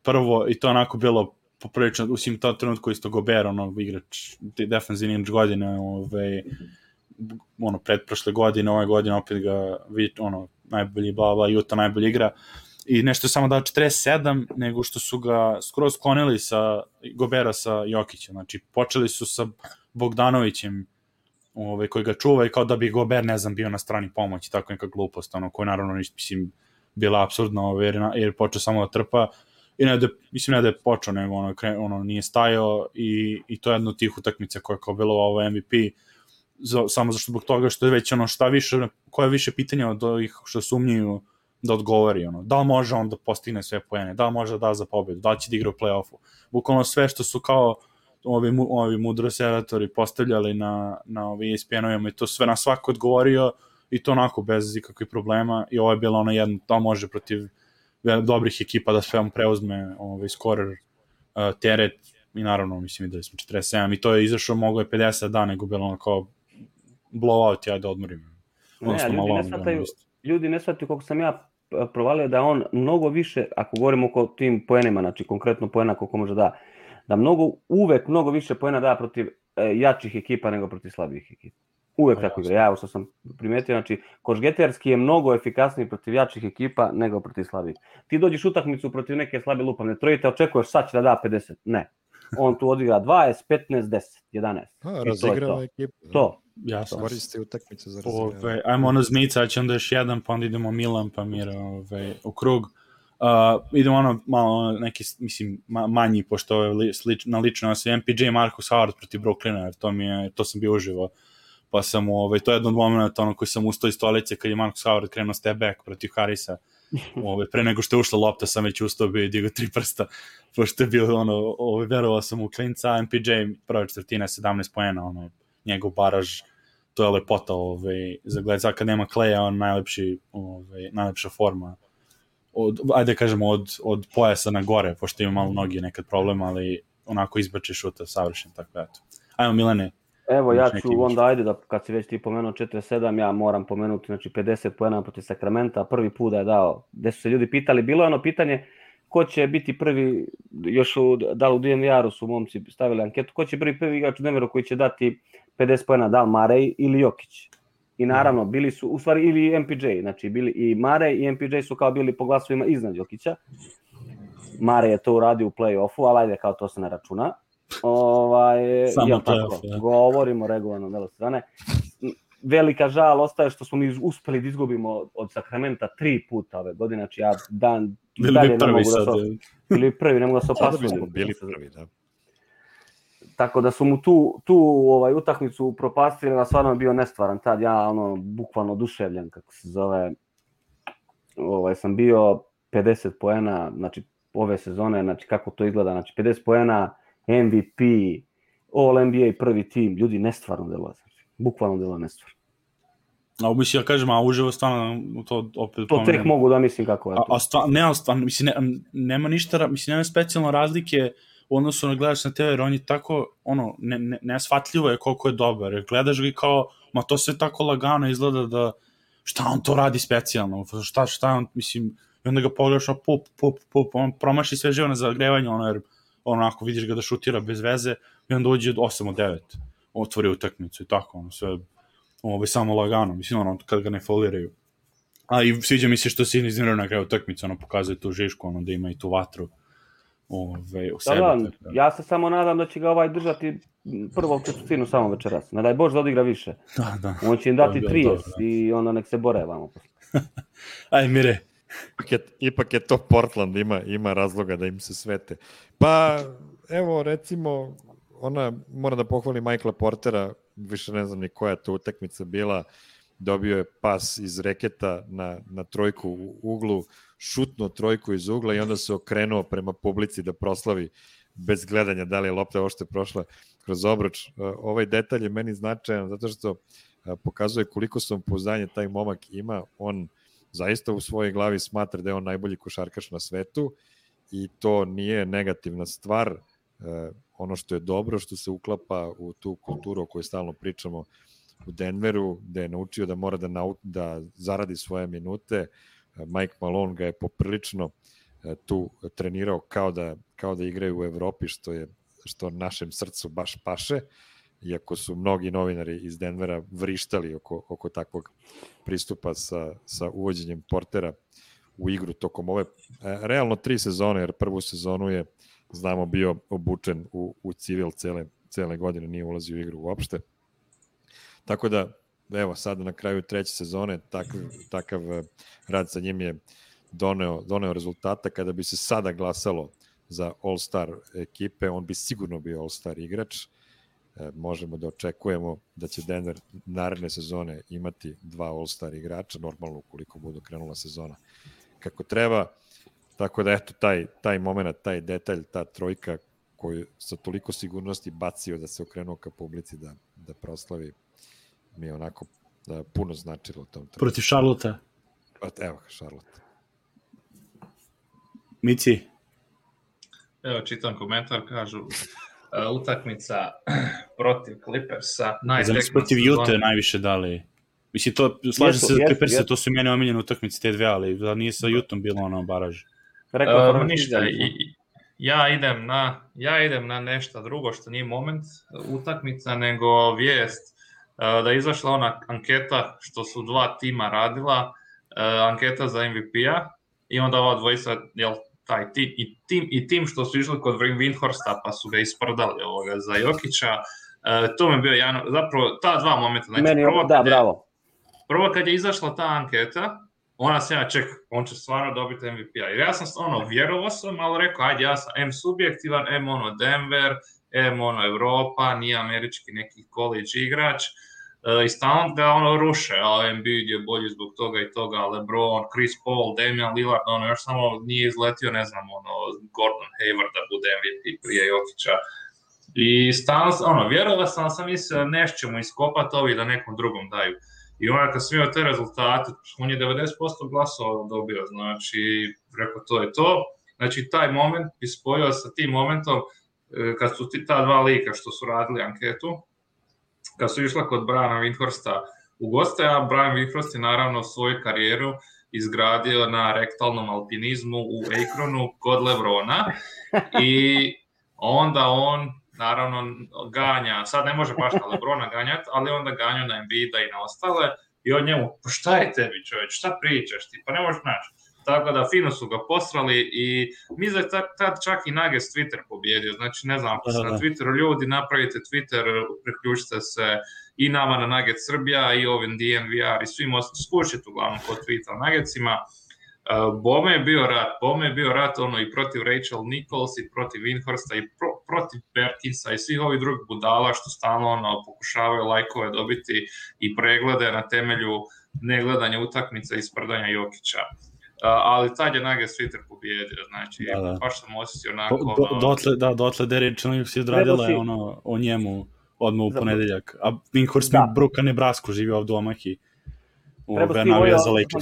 prvo, i to onako bilo poprilično, u svim to trenutku isto Gobert, ono, igrač, defensivni igrač godine, ovaj, ono, predprošle godine, ove godine opet ga, ono, najbolji, bla, bla, Juta najbolji igra, i nešto samo dao četrdeset sedam, nego što su ga skroz sklonili sa Gobera sa Jokićem, znači počeli su sa Bogdanovićem, ovaj, koji ga čuva i kao da bi Gober, ne znam, bio na strani pomoći, tako neka glupost, ono, koja naravno, mislim, bila apsurdna, ovaj, jer, jer je počeo samo da trpa, i ne da, mislim, ne da je počeo, nego ono, ono nije stajao, i, i to je jedna od tih utakmica koja je kao bilo ovo M V P, za, samo zašto zbog toga što je već ono šta više, koje više pitanja od ovih što sumnjuju da odgovori, ono, da li može on da postigne sve poene, da li može da da za pobedu, da li će da igra u play-offu, bukvalno sve što su kao ovi, ovi mudrosevatori postavljali na, na ovi E S P N-ovima i to sve na svako odgovorio i to onako bez ikakvih problema i ovo je bilo ono jedno, da može protiv dobrih ekipa da sve vam preuzme ovaj skorer uh, teret i naravno mislim videli smo četrdeset sedam i to je izašao, mogo je pedeset da, nego bilo ono kao blowout, ja da odmorim. Ne, ljudi, malo, ne shvataju, ljudi ne shvataju koliko sam ja provalio da on mnogo više, ako govorimo oko tim poenima, znači konkretno poena koliko može da, da mnogo, uvek mnogo više poena da protiv e, jačih ekipa nego protiv slabih ekipa. Uvek o, tako igra. Ja, što sam primetio, znači, košgeterski je mnogo efikasniji protiv jačih ekipa nego protiv slabih. Ti dođeš utakmicu protiv neke slabe lupavne trojice, očekuješ sad će da da pedeset. Ne. On tu odigra dvadeset, petnaest, deset, jedanaest. A, razigrava to ekipu. To. Jasno. Koristi utakmicu za razigravanje. Ove, ajmo ono zmica, će onda još jedan, pa onda idemo Milan, pa Mira ove, u krug. Uh, idemo ono malo neki, mislim, manji, pošto je li, slič, na lično se M P J Marcus Howard protiv Brooklyna, jer to mi je, to sam bio uživo. Pa sam, ove, to je jedan od momenta ono koji sam ustao iz stolice kad je Marcus Howard krenuo step back protiv Harrisa. Ove, pre nego što je ušla lopta sam već ustao, bio i digao tri prsta, pošto je bio ono, ove, verovao sam u klinca, M P J prva četvrtina sedamnaest poena, ono, njegov baraž, to je lepota, ove, za gled, kad nema Kleja, on najlepši, ove, najlepša forma, od, ajde kažemo, od, od pojasa na gore, pošto ima malo nogi nekad problem, ali onako izbači šuta savršen, tako da, eto. Ajmo, Milane. Evo, ja ću onda, ajde, da kad si već ti pomenuo četrdeset sedam, ja moram pomenuti, znači, pedeset poena protiv Sakramenta, prvi put da je dao, gde su se ljudi pitali, bilo je ono pitanje, ko će biti prvi, još u, da li u D N V R-u su momci stavili anketu, ko će biti prvi igrač u Denveru koji će dati pedeset poena, da li Murray ili Jokić. I naravno, bili su, u stvari, ili M P J, znači, bili i Murray i M P J su kao bili po glasovima iznad Jokića. Murray je to uradio u play-offu, ali ajde, kao to se ne računa. Ovaj, Samo tako, ja. Govorimo regularno delo strane. Velika žal ostaje što smo mi uspeli da izgubimo od Sakramenta tri puta ove godine, znači ja dan bili dalje ne mogu da se bili prvi, ne mogu da se opasujem. Bili prvi, da. Tako da su mu tu, tu ovaj, utakmicu propastili, a stvarno je bio nestvaran tad, ja ono, bukvalno oduševljen, kako se zove, ovaj, sam bio pedeset poena, znači ove sezone, znači kako to izgleda, znači pedeset poena, M V P, All N B A prvi tim, ljudi nestvarno delo, znači, bukvalno delo nestvarno. A mislim, ja kažem, a uživo stvarno to opet... To tek mogu da mislim kako je to. A, a stvarno, ne, stvarno, mislim, ne, nema ništa, mislim, nema specijalno razlike u odnosu na gledaš na T V, jer on je tako, ono, ne, ne, nesvatljivo je koliko je dobar, jer gledaš ga i kao, ma to sve tako lagano izgleda da, šta on to radi specijalno, šta, šta on, mislim, i onda ga pogledaš, a pup, pup, pup, on promaši sve živo na zagrevanje, ono, jer onako vidiš ga da šutira bez veze i onda uđe osam od devet, otvori utakmicu i tako, ono, sve, ovo je samo lagano, mislim, ono, kad ga ne foliraju. A i sviđa mi se što se iznervio na kraju utakmice, ono, pokazuje tu žišku, ono, da ima i tu vatru ove, u sebi. Da, da, ja se samo nadam da će ga ovaj držati prvo četvrtinu samo večeras. Ne daj Bož da odigra više. Da, da. On će im dati trideset i onda nek se bore vamo. Aj, Mire. Ipak je, ipak je to Portland, ima, ima razloga da im se svete. Pa, evo, recimo, ona, mora da pohvali Michaela Portera, više ne znam ni koja je to utakmica bila, dobio je pas iz reketa na, na trojku u uglu, šutnuo trojku iz ugla i onda se okrenuo prema publici da proslavi bez gledanja da li je lopta ošte prošla kroz obruč. Ovaj detalj je meni značajan zato što pokazuje koliko samopouzdanje taj momak ima. On zaista u svojoj glavi smatra da je on najbolji košarkaš na svetu i to nije negativna stvar. Ono što je dobro, što se uklapa u tu kulturu o kojoj stalno pričamo u Denveru, gde je naučio da mora da, nau, da zaradi svoje minute. Mike Malone ga je poprilično tu trenirao kao da, kao da igraju u Evropi, što je što našem srcu baš paše, iako su mnogi novinari iz Denvera vrištali oko, oko takvog pristupa sa, sa uvođenjem Portera u igru tokom ove realno tri sezone, jer prvu sezonu je, znamo, bio obučen u, u civil cele, cele godine, nije ulazio u igru uopšte. Tako da, evo, sada na kraju treće sezone takav, takav rad sa njim je doneo, doneo rezultata. Kada bi se sada glasalo za All-Star ekipe, on bi sigurno bio All-Star igrač. E, možemo da očekujemo da će Denver naredne sezone imati dva All-Star igrača, normalno ukoliko budu krenula sezona kako treba. Tako da, eto, taj, taj moment, taj detalj, ta trojka koju sa toliko sigurnosti bacio da se okrenuo ka publici da, da proslavi, mi je onako da, puno značilo u tom trenutku. Protiv Charlotte. Evo ga, Charlotte. Mici? Evo, čitam komentar, kažu uh, utakmica protiv Clippersa. Znači, protiv Utah najviše dali. Mislim, to, slažem se za Clippersa, to su meni omiljene utakmice te dve, ali da nije sa Utahom bilo ono baraž. Uh, ništa, i, ja idem na ja idem na nešto drugo što nije moment utakmica, nego vijest uh, da je izašla ona anketa što su dva tima radila, uh, anketa za M V P-a i onda ova dvojica, jel, taj tim i tim i tim što su išli kod Windhorsta pa su ga isprdali ovoga za Jokića. Uh, to mi je bio jedan, zapravo ta dva momenta, znači meni, prvo, da, kad je, bravo. prvo kad je izašla ta anketa, ona se ja čekam, on će stvarno dobiti M V P-a. Jer ja sam ono, vjerovao sam, ali rekao, ajde, ja sam M subjektivan, M ono Denver, M ono Evropa, nije američki neki college igrač. Uh, I stalno ga ono ruše, a Embiid je bolji zbog toga i toga, LeBron, Chris Paul, Damian Lillard, ono još samo nije izletio, ne znam, ono, Gordon Hayward da bude M V P prije Jokića. I stalno, ono, vjerovao sam, sam mislio, nešto mu iskopati ovi da nekom drugom daju. I onda kad sam imao te rezultate, on je devedeset posto glasova dobio, znači, rekao, to je to. Znači, taj moment bi spojio sa tim momentom, kad su ti, ta dva lika što su radili anketu, kad su išla kod Briana Windhorsta u goste, a Brian Windhorst je naravno svoju karijeru izgradio na rektalnom alpinizmu u Akronu kod Lebrona i onda on naravno ganja, sad ne može baš na Lebrona ganjati, ali onda ganju na Embiida i na ostale i on njemu, pa šta je tebi čovječ, šta pričaš ti, pa ne možeš naći. Tako da fino su ga posrali i mi za tad čak i Nuggets Twitter pobjedio, znači ne znam, ako ste na Twitteru ljudi, napravite Twitter, priključite se i nama na Nuggets Srbija i ovim D N V R i svim ostalim, skušite uglavnom kod tweeta o Nuggetsima. Uh, Bome je bio rat, Bome je bio rat ono i protiv Rachel Nichols i protiv Windhorsta i pro, protiv Perkinsa i svih ovih drugih budala što stalno ono, pokušavaju lajkove dobiti i preglede na temelju negledanja utakmica i sprdanja Jokića. Uh, ali tad je Nuggets Twitter pobjedio, znači da, da. Baš sam osjetio onako... Do, do, dotle, da, dotle Derrick Livings je odradila si... ono, o njemu odmah u ponedeljak, a Windhorst mi bruka Nebrasku živio ovdje u Omahi. Treba si vojao,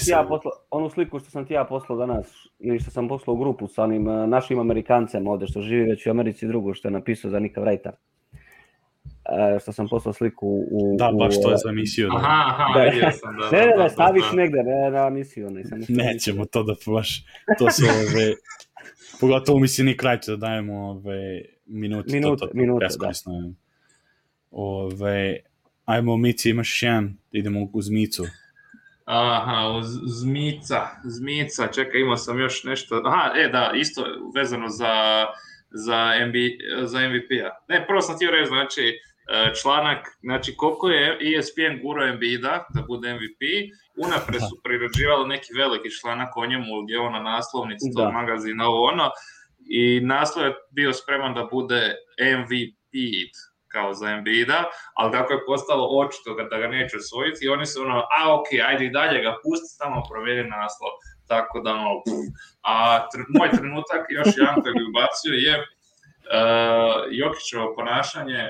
ja posla, onu sliku što sam ti ja poslao danas, ili što sam poslao u grupu sa onim uh, našim Amerikancem ovdje što živi već u Americi, drugo što je napisao za Nika Wrighta. Uh, što sam poslao sliku u... Da, baš u, to je za emisiju. Da. Aha, aha, vidio sam. Da, ne, ne, da, ne, staviš da, da. negde, ne na emisiju. Ne, sam nećemo to da baš, to su ove... Pogotovo mislim Nick Wright da dajemo ove minute. Minute, to, to, minute, da. Ove, ajmo, Mici, imaš jedan, idemo uz Micu. Aha, uz Zmica, Zmica, čekaj, imao sam još nešto, aha, e da, isto vezano za, za, M B, za M V P-a. Ne, prvo sam htio reći, znači, članak, znači koliko je E S P N gurao Embida da bude M V P, unapred su prirađivali neki veliki članak o njemu gdje je on na naslovnici tog magazina ovo ono i naslov je bio spreman da bude M V P kao za Embida, ali kako je postalo očito da ga neće osvojiti i oni su ono, a ok, ajde i dalje ga pusti, samo provjeri naslov. Tako da, no, a tr- moj trenutak, još jedan koji bi ubacio je uh, Jokićevo ponašanje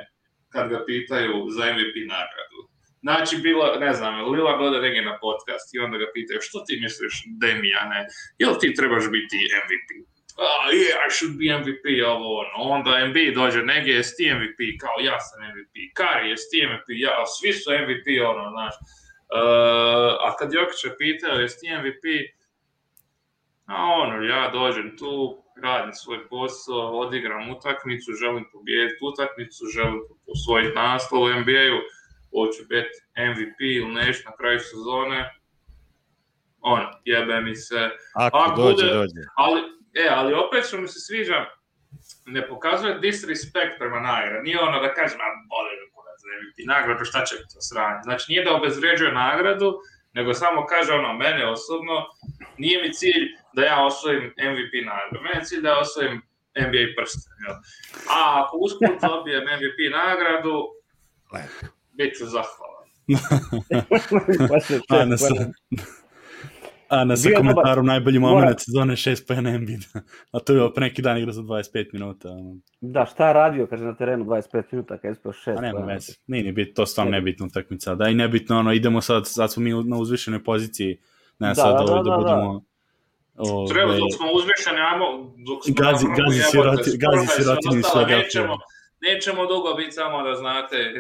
kad ga pitaju za M V P nagradu. Znači, bilo, ne znam, Lila Goda negi na podcast i onda ga pitaju, što ti misliš, Demijane, jel ti trebaš biti M V P? Ah, yeah, I should be M V P, ovo ono. Onda M B dođe, nege, jesi ti M V P, kao ja sam M V P, Kari, jesi ti M V P, ja, svi su M V P, ono, znaš. Uh, a kad Jokića pitao, jesi ti M V P, a ono, ja dođem tu, radim svoj posao, odigram utakmicu, želim pobijediti utakmicu, želim osvojiti naslov u N B A-u, hoću biti M V P ili nešto na kraju sezone, ono, jebe mi se. Ako, Ako dođe, bude, dođe. Ali, e, ali opet što mi se sviđa, ne pokazuje disrespect prema nagradi. Nije ono da kažem, a boli me kurac za M V P nagradu, šta će to sranje. Znači, nije da obezvređuje nagradu, nego samo kaže ono, mene osobno, nije mi cilj da ja osvojim M V P nagradu, mene je cilj da ja osvojim N B A prsten. Jel? A ako usput dobijem M V P nagradu, bit ću zahvalan. Ana sa, Ana sa komentarom najbolji moment sezone šest pojena Embida. A to je bio pre neki dan igra za dvadeset pet minuta. Da, šta je radio, kaže na terenu dvadeset pet minuta, kada je ispio šest. A nema veze, nije ni bit, to stvarno nebitno utakmica. Da, i nebitno, ono, idemo sad, sad smo mi na uzvišenoj poziciji, ne da, sad da, da, da, da budemo... Ove... Treba, dok smo uzvišeni, ajmo, dok smo... Gazi, gazi siroti, gazi sirotini sve nećemo, nećemo dugo biti samo da znate.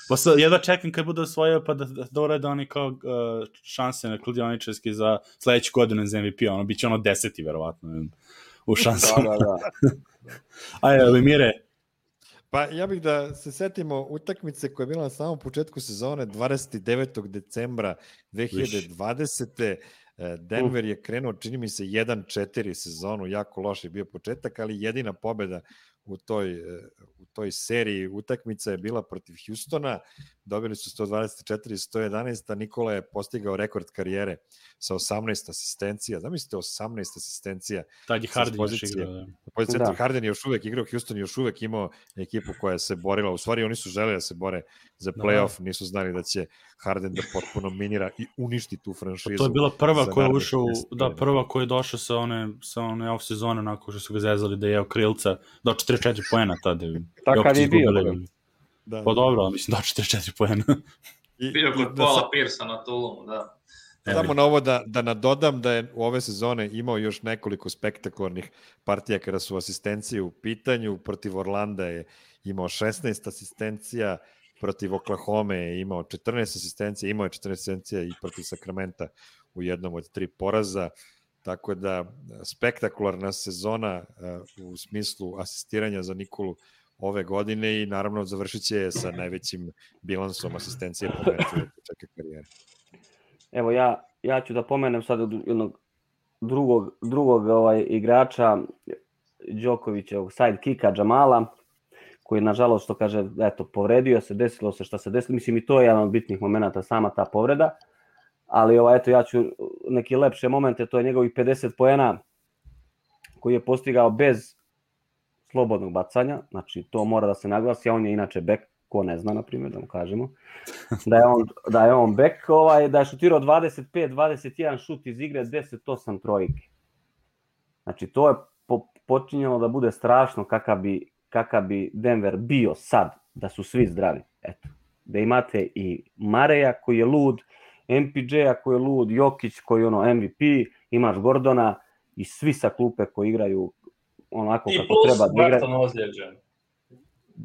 Pa sad, jedva čekam kad bude osvojio, pa da, da, da urede oni kao uh, šanse na kladioničarski za sledeću godinu za M V P, ono, bit će ono deseti, verovatno, u šansama. Da, da, da. Ajde, ali Mire. Pa ja bih da se setimo utakmice koja je bila na samom početku sezone dvadeset devetog decembra dve hiljade dvadesete. Denver je krenuo, čini mi se, jedan četiri sezonu, jako loš je bio početak, ali jedina pobeda u toj, u toj seriji utakmica je bila protiv Houstona, dobili su sto dvadeset četiri sto jedanaest, a Nikola je postigao rekord karijere sa osamnaest asistencija, zamislite osamnaest asistencija. Tad je Harden još igrao. Da. Da. Harden je još uvek igrao, Houston je još uvek imao ekipu koja se borila, u stvari oni su želeli da se bore za playoff, da. Nisu znali da će Harden da potpuno minira i uništi tu franšizu. To je bila prva koja je ušao, da, prva koja je došla sa one, sa one off sezone, nakon što su ga zezali da je jeo krilca, do četrdeset četiri poena tada. Takav je bio. Da. Pa dobro, mislim do četrdeset četiri poena. Bio kod Paula Piersa na Tulumu, da. Samo na ovo da, da nadodam da je u ove sezone imao još nekoliko spektakularnih partija kada su asistencije u pitanju. Protiv Orlanda je imao šesnaest asistencija, protiv Oklahoma je imao četrnaest asistencija, imao je četrnaest asistencija i protiv Sakramenta u jednom od tri poraza. Tako da spektakularna sezona uh, u smislu asistiranja za Nikolu ove godine i naravno završit će sa najvećim bilansom asistencije po meču od početka karijere. Evo ja, ja ću da pomenem sad jednog drugog, drugog ovaj, igrača Đokovićevog sidekicka Džamala, koji nažalost što kaže, eto, povredio se, desilo se šta se desilo, mislim i to je jedan od bitnih momenata, sama ta povreda, ali ovaj, eto, ja ću neke lepše momente, to je njegovih pedeset poena koji je postigao bez slobodnog bacanja, znači to mora da se naglasi, a on je inače bek, ko ne zna, na primjer, da mu kažemo, da je on, da je on bek, ovaj, da je šutirao dvadeset pet dvadeset jedan šut iz igre, deset osam trojke. Znači to je po, počinjalo da bude strašno kakav bi, kakav bi Denver bio sad, da su svi zdravi. Eto, da imate i Mareja koji je lud, M P J-a koji je lud, Jokić koji je ono M V P, imaš Gordona i svi sa klupe koji igraju onako I kako treba da igraju. I plus ozlijeđen.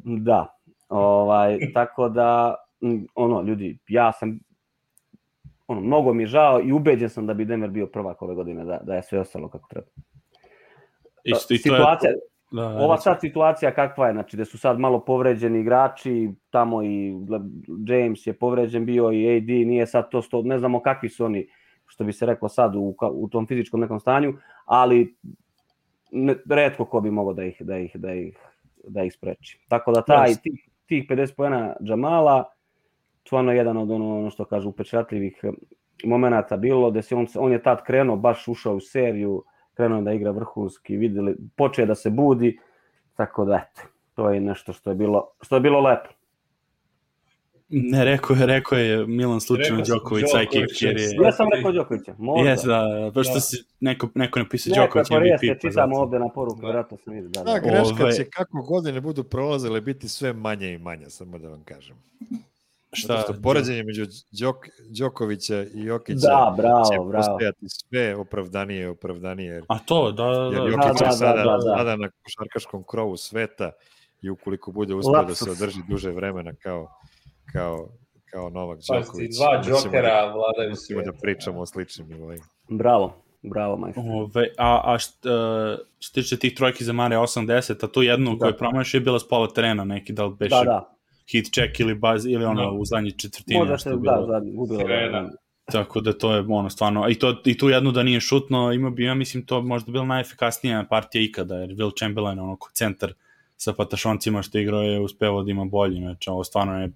Da, ovaj, tako da, ono, ljudi, ja sam, ono, mnogo mi je žao i ubeđen sam da bi Denver bio prvak ove godine, da, da je sve ostalo kako treba. Isto, i situacija, je... da, da, ova sad situacija kakva je, znači da su sad malo povređeni igrači, tamo i James je povređen bio i A D, nije sad to sto, ne znamo kakvi su oni, što bi se reklo sad u, u tom fizičkom nekom stanju, ali ne, retko ko bi mogao da ih, da ih, da ih, da ih spreči. Tako da taj, tih, tih pedeset poena Džamala, stvarno jedan od ono, ono što kažu upečatljivih momenata bilo, da se on, on je tad krenuo, baš ušao u seriju, krenuo da igra vrhunski, videli, počeo da se budi, tako da eto, to je nešto što je bilo, što je bilo lepo. Ne, rekao je, rekao je Milan slučajno Đoković sa ekipke. Ja sam rekao Đokovića, možda. Jes, da, pošto da. Si neko, neko napisao neko Đoković M V P. Neko je pa čitamo ovde na poruku, da. Vjerojatno sam vidio. Da, da. da, greška Ove... će kako godine budu prolazile biti sve manje i manje, samo da vam kažem. Šta? Zato što poređenje među Đok, Đokovića i Jokića da, bravo, će bravo. postojati sve opravdanije opravdanije. A to, da, da. Jer Jokić da, da, sada, da, da, da. sada na košarkaškom krovu sveta i ukoliko bude uspio da se održi duže vremena kao, kao, kao Novak Đoković. Pa dva Džokera vladaju svijetom. Da pričamo o sličnim nivoima. Bravo. Bravo, majstor. Ove, a a šta, što tiče tih trojki za Mare osamdeset, a tu jednu koju promašio je bila s pola terena, neki da li beše da, da. hit check ili baz, ili ono no. u zadnji četvrtini. Možda se, da, zadnji, gubilo. Da. Tako da to je ono stvarno, i, to, i tu jednu da nije šutno, ima bi, ja mislim, to možda bila najefikasnija partija ikada, jer Will Chamberlain, ono, centar sa patašoncima što igrao je uspevao da ima bolji, znači ovo stvarno je,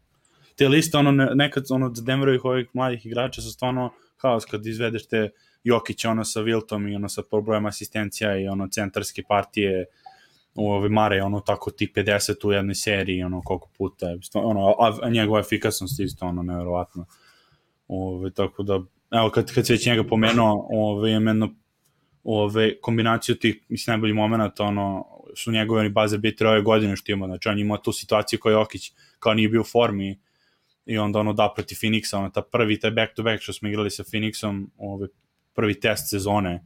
te liste, ono, nekad, ono, za Denverovih ovih mladih igrača su stvarno haos kad izvedeš te Jokić ono sa Wiltom i ono sa brojem asistencija i ono centarske partije u ove Mare, ono tako ti pedeset u jednoj seriji, ono koliko puta je, ono, a njegova efikasnost isto ono nevjerovatno. Ove, tako da, evo kad, kad se već njega pomenuo, ove, imeno, ove, kombinaciju tih, mislim, najboljih momenta, ono, su njegove oni baze bitire ove godine što ima, znači on ima tu situaciju koja Jokić kao nije bio u formi i onda ono da protiv Phoenixa, ono, ta prvi, taj back to back što smo igrali sa Phoenixom, ove, prvi test sezone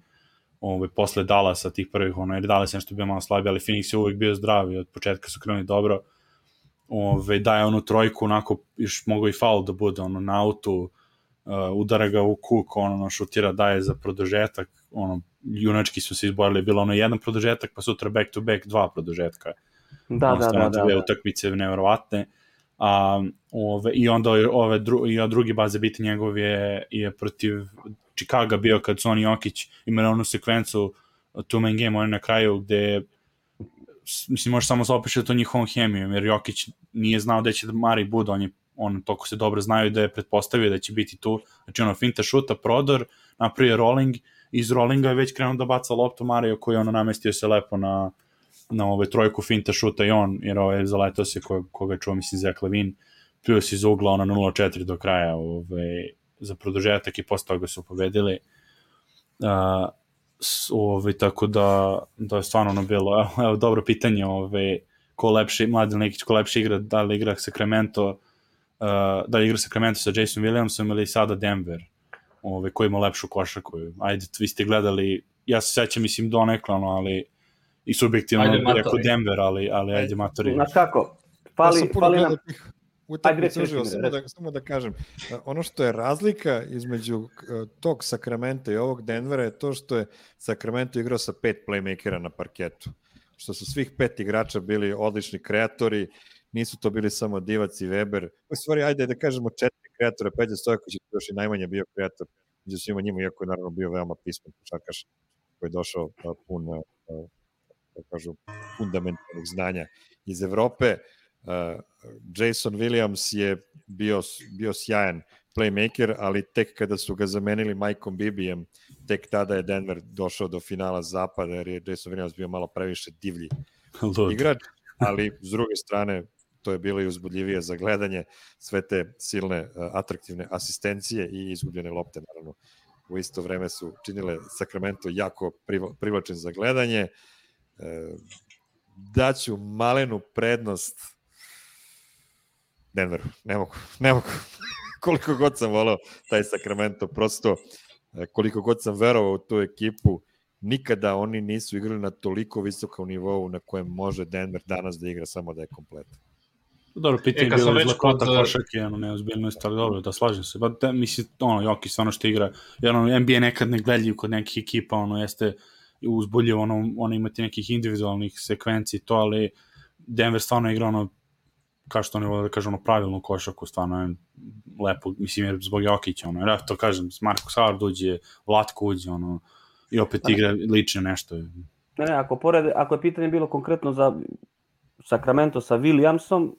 ovaj, posle Dallasa tih prvih, ono, jer Dallas je nešto bio malo slabiji, ali Phoenix je uvijek bio zdrav i od početka su krenuli dobro. Ovaj, daje onu trojku, onako, još mogo i faul da bude, ono, na autu, uh, udara ga u kuk, ono, šutira, daje za produžetak, ono, junački su se izborili, bilo ono jedan produžetak, pa sutra back to back dva produžetka. Da, ono, da, da, da, da. Utakmice nevjerovatne. A, ove, i onda ove dru, i drugi baze biti njegov je, je protiv Chicago bio kad su oni Jokić imali onu sekvencu two man game, oni na kraju gde mislim može samo se opišati to njihovom hemijom, jer Jokić nije znao da će Mari bude, on je on toliko se dobro znaju da je pretpostavio da će biti tu, znači ono finta šuta, prodor, napravio rolling, iz rollinga je već krenuo da baca loptu Mariju koji ono namestio se lepo na na ove trojku finta šuta i on, jer ovaj zaletao se ko, koga čuo, mislim, Zach Levine, pio se iz ugla ono nula četiri do kraja ove, za produžetak i posle toga su pobedili. Uh, ove, tako da, da je stvarno ono bilo, evo, evo dobro pitanje, ove, ko lepši, Mladen Lekić, ko lepši igra, da li igra Sacramento, uh, da li igra Sacramento sa Jason Williamsom ili sada Denver, ove, ko ima lepšu košarku. Ajde, vi ste gledali, ja se sećam, mislim, donekle, ono, ali i subjektivno rekao Denver, ali, ali ajde matori. Znaš kako, fali, ja fali nam... Utakmicu uživao, samo da, samo da kažem, ono što je razlika između tog Sacramento i ovog Denvera je to što je Sacramento igrao sa pet playmakera na parketu, što su svih pet igrača bili odlični kreatori, nisu to bili samo Divac i Weber, u stvari ajde da kažemo četiri kreatora, Peđa Stojković je još i najmanje bio kreator, među svima njima, iako je naravno bio veoma pismen košarkaš koji je došao pun, da kažu, fundamentalnih znanja iz Evrope. Uh, Jason Williams je bio, bio sjajan playmaker, ali tek kada su ga zamenili Mikeom Bibijem, tek tada je Denver došao do finala zapada, jer je Jason Williams bio malo previše divlji igrač, ali s druge strane to je bilo i uzbudljivije za gledanje, sve te silne, uh, atraktivne asistencije i izgubljene lopte, naravno. U isto vreme su činile Sacramento jako privlačen za gledanje. Uh, daću malenu prednost Denveru, ne mogu, ne mogu. Koliko god sam voleo taj Sacramento, prosto koliko god sam verovao u tu ekipu, nikada oni nisu igrali na toliko visokom nivou na kojem može Denver danas da igra, samo da je kompletan. Dobro, pitanje je bilo izlakota košarke, ono, neozbiljnost, ali dobro, da slažem se. Ba, da, mislim, ono, Jokić stvarno što igra, jer ono, N B A nekad ne gledljiv kod nekih ekipa, ono, jeste uzbudljivo, ono, ono, imati nekih individualnih sekvenciji, to, ali Denver stvarno igra, ono, kao što oni vole da kažu, ono, pravilnu košarku, stvarno je lepo, mislim, jer zbog Jokića, ono, jer to kažem, Marcus Howard uđe, Vlatko uđe, ono, i opet igra lično nešto. Ne, ne, ako, pored, ako je pitanje bilo konkretno za Sacramento sa Williamsom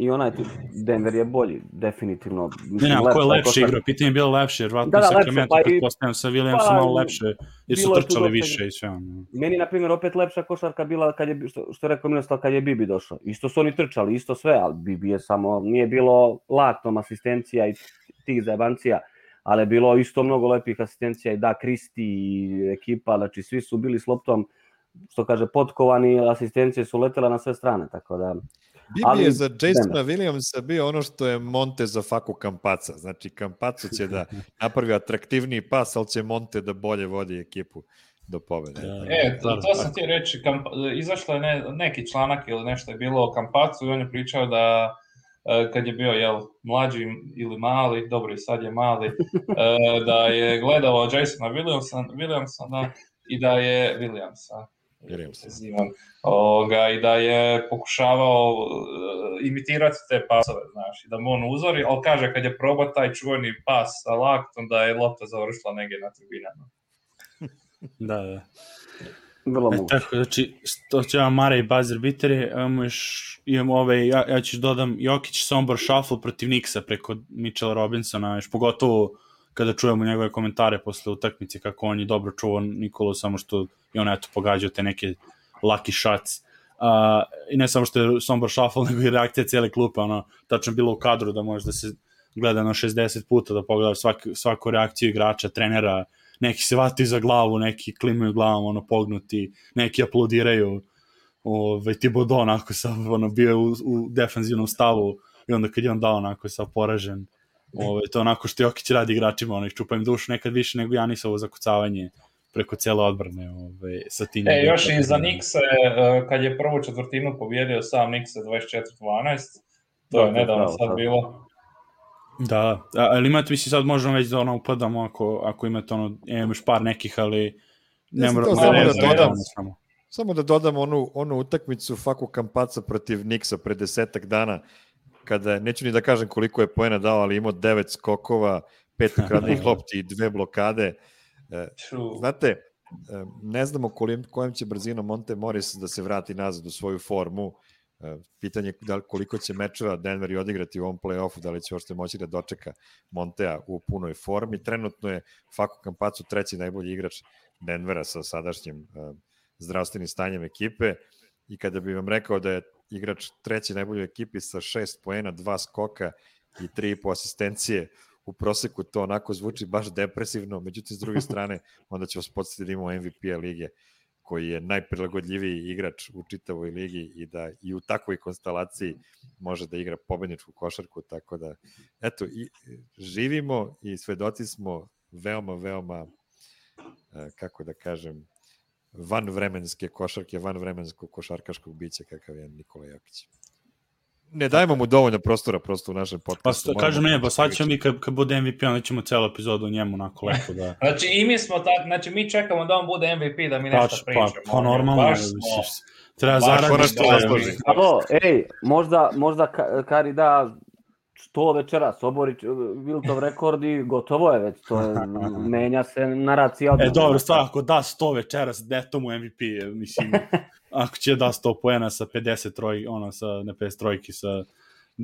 i onaj tip, Denver je bolji, definitivno. Ne, ne, ko je lepše igra, pitanje je bilo lepše, jer vratno da, da, Sacramento, pa pretpostavljam sa Williamsom pa, malo lepše, jer su trčali više i sve. Meni, na primjer, opet lepša košarka bila, kad je, što, što je rekao Miroslav, kad je Bibi došao. Isto su oni trčali, isto sve, ali Bibi je samo, nije bilo laktom asistencija i tih zajebancija, ali je bilo isto mnogo lepih asistencija i da, Kristi i ekipa, znači svi su bili s loptom, što kaže, potkovani, asistencije su letele na sve strane, tako da... Bibi ali, je za Jasona Williamsa bio ono što je Monte za Faku Campazza. Znači, Campazzo će da napravi atraktivniji pas, ali će Monte da bolje vodi ekipu do pobede. E, to, to sam ti reći, kamp, izašlo je ne, neki članak ili nešto je bilo o Campazzu i on je pričao da kad je bio jel, mlađi ili mali, dobro i sad je mali, da je gledao Jasona Williamsa, Williamsa i da je Williamsa. Oga, i da je pokušavao uh, imitirati te pasove, znaš, i da mu on uzori, ali kaže kad je probao taj čuveni pas sa laktom da je lopta završila negdje na tribinama. Da, da. Vrlo e, tako, znači, to će vam Mare i buzzer biteri, imamo još, imamo ove, ja, ja ću dodam Jokić Sombor shuffle protiv Knicksa preko Mitchella Robinsona, još pogotovo kada čujemo njegove komentare posle utakmice kako on je dobro čuvao Nikolu, samo što je on eto pogađao te neke lucky shots. Uh, I ne samo što je Sombor shuffle, nego i reakcija cijele klupe, ono, tačno bilo u kadru da može da se gleda na šezdeset puta, da pogleda svak, svaku reakciju igrača, trenera, neki se vataju za glavu, neki klimaju glavom, ono, pognuti, neki aplodiraju, ove, Thibodeau onako sam, ono, bio u, u defanzivnom stavu i onda kad je on dao onako sam poražen. Ove, to onako što Jokić radi igračima, ono, ih čupa im dušu nekad više nego Janisovo zakucavanje preko cijele odbrane. Ove, sa tim e, još i za Knickse, kad je prvu četvrtinu pobjedio sam Knickse dvadeset četiri dvanaest, to je nedavno sad bilo. Da, ali imate, mislim, sad možemo već da ono upadamo ako, ako imate ono, imamo još par nekih, ali ne moramo samo ne, da dodam, samo. samo da dodam onu, onu utakmicu Faku Campazza protiv Knicksa pre desetak dana, kada, neću ni da kažem koliko je poena dao, ali imao devet skokova, pet ukradnih lopti i dve blokade. Znate, ne znamo kolim, kojim će brzinom Monte Morris da se vrati nazad u svoju formu. Pitanje da koliko će mečeva Denver i odigrati u ovom play-offu, da li će ošte moći da dočeka Montea u punoj formi. Trenutno je Faku Campazzo treći najbolji igrač Denvera sa sadašnjim uh, zdravstvenim stanjem ekipe i kada bih vam rekao da je igrač treći najbolji u ekipi sa šest poena, dva skoka i tri i po asistencije, u proseku to onako zvuči baš depresivno, međutim s druge strane onda će vas podsjetiti da imamo M V P-a lige koji je najprilagodljiviji igrač u čitavoj ligi i da i u takvoj konstelaciji može da igra pobedničku košarku, tako da eto, i živimo i svedoci smo veoma, veoma kako da kažem, vanvremenske košarke, vanvremenskog košarkaškog bića kakav je Nikola Jokić. Ne dajemo mu dovoljno prostora prosto u našem podcastu. Pa kažem ne, pa sad ćemo mi kad, kad bude M V P, onda ćemo celu epizodu u njemu onako lepo da... Znači i mi smo tako, znači mi čekamo da on bude M V P da mi nešto Pač, pričamo. Pa, pa normalno, baš smo, smo, treba zaraditi. Alo, ej, možda, možda Kari da sto večeras, obori Wiltov rekord i gotovo je već, to je, menja se naracija. E dobro, stvar, ako da sto večeras, deto mu M V P, mislim, ako će da sto poena sa pedeset trojki, ono, sa, ne pedeset trojki, sa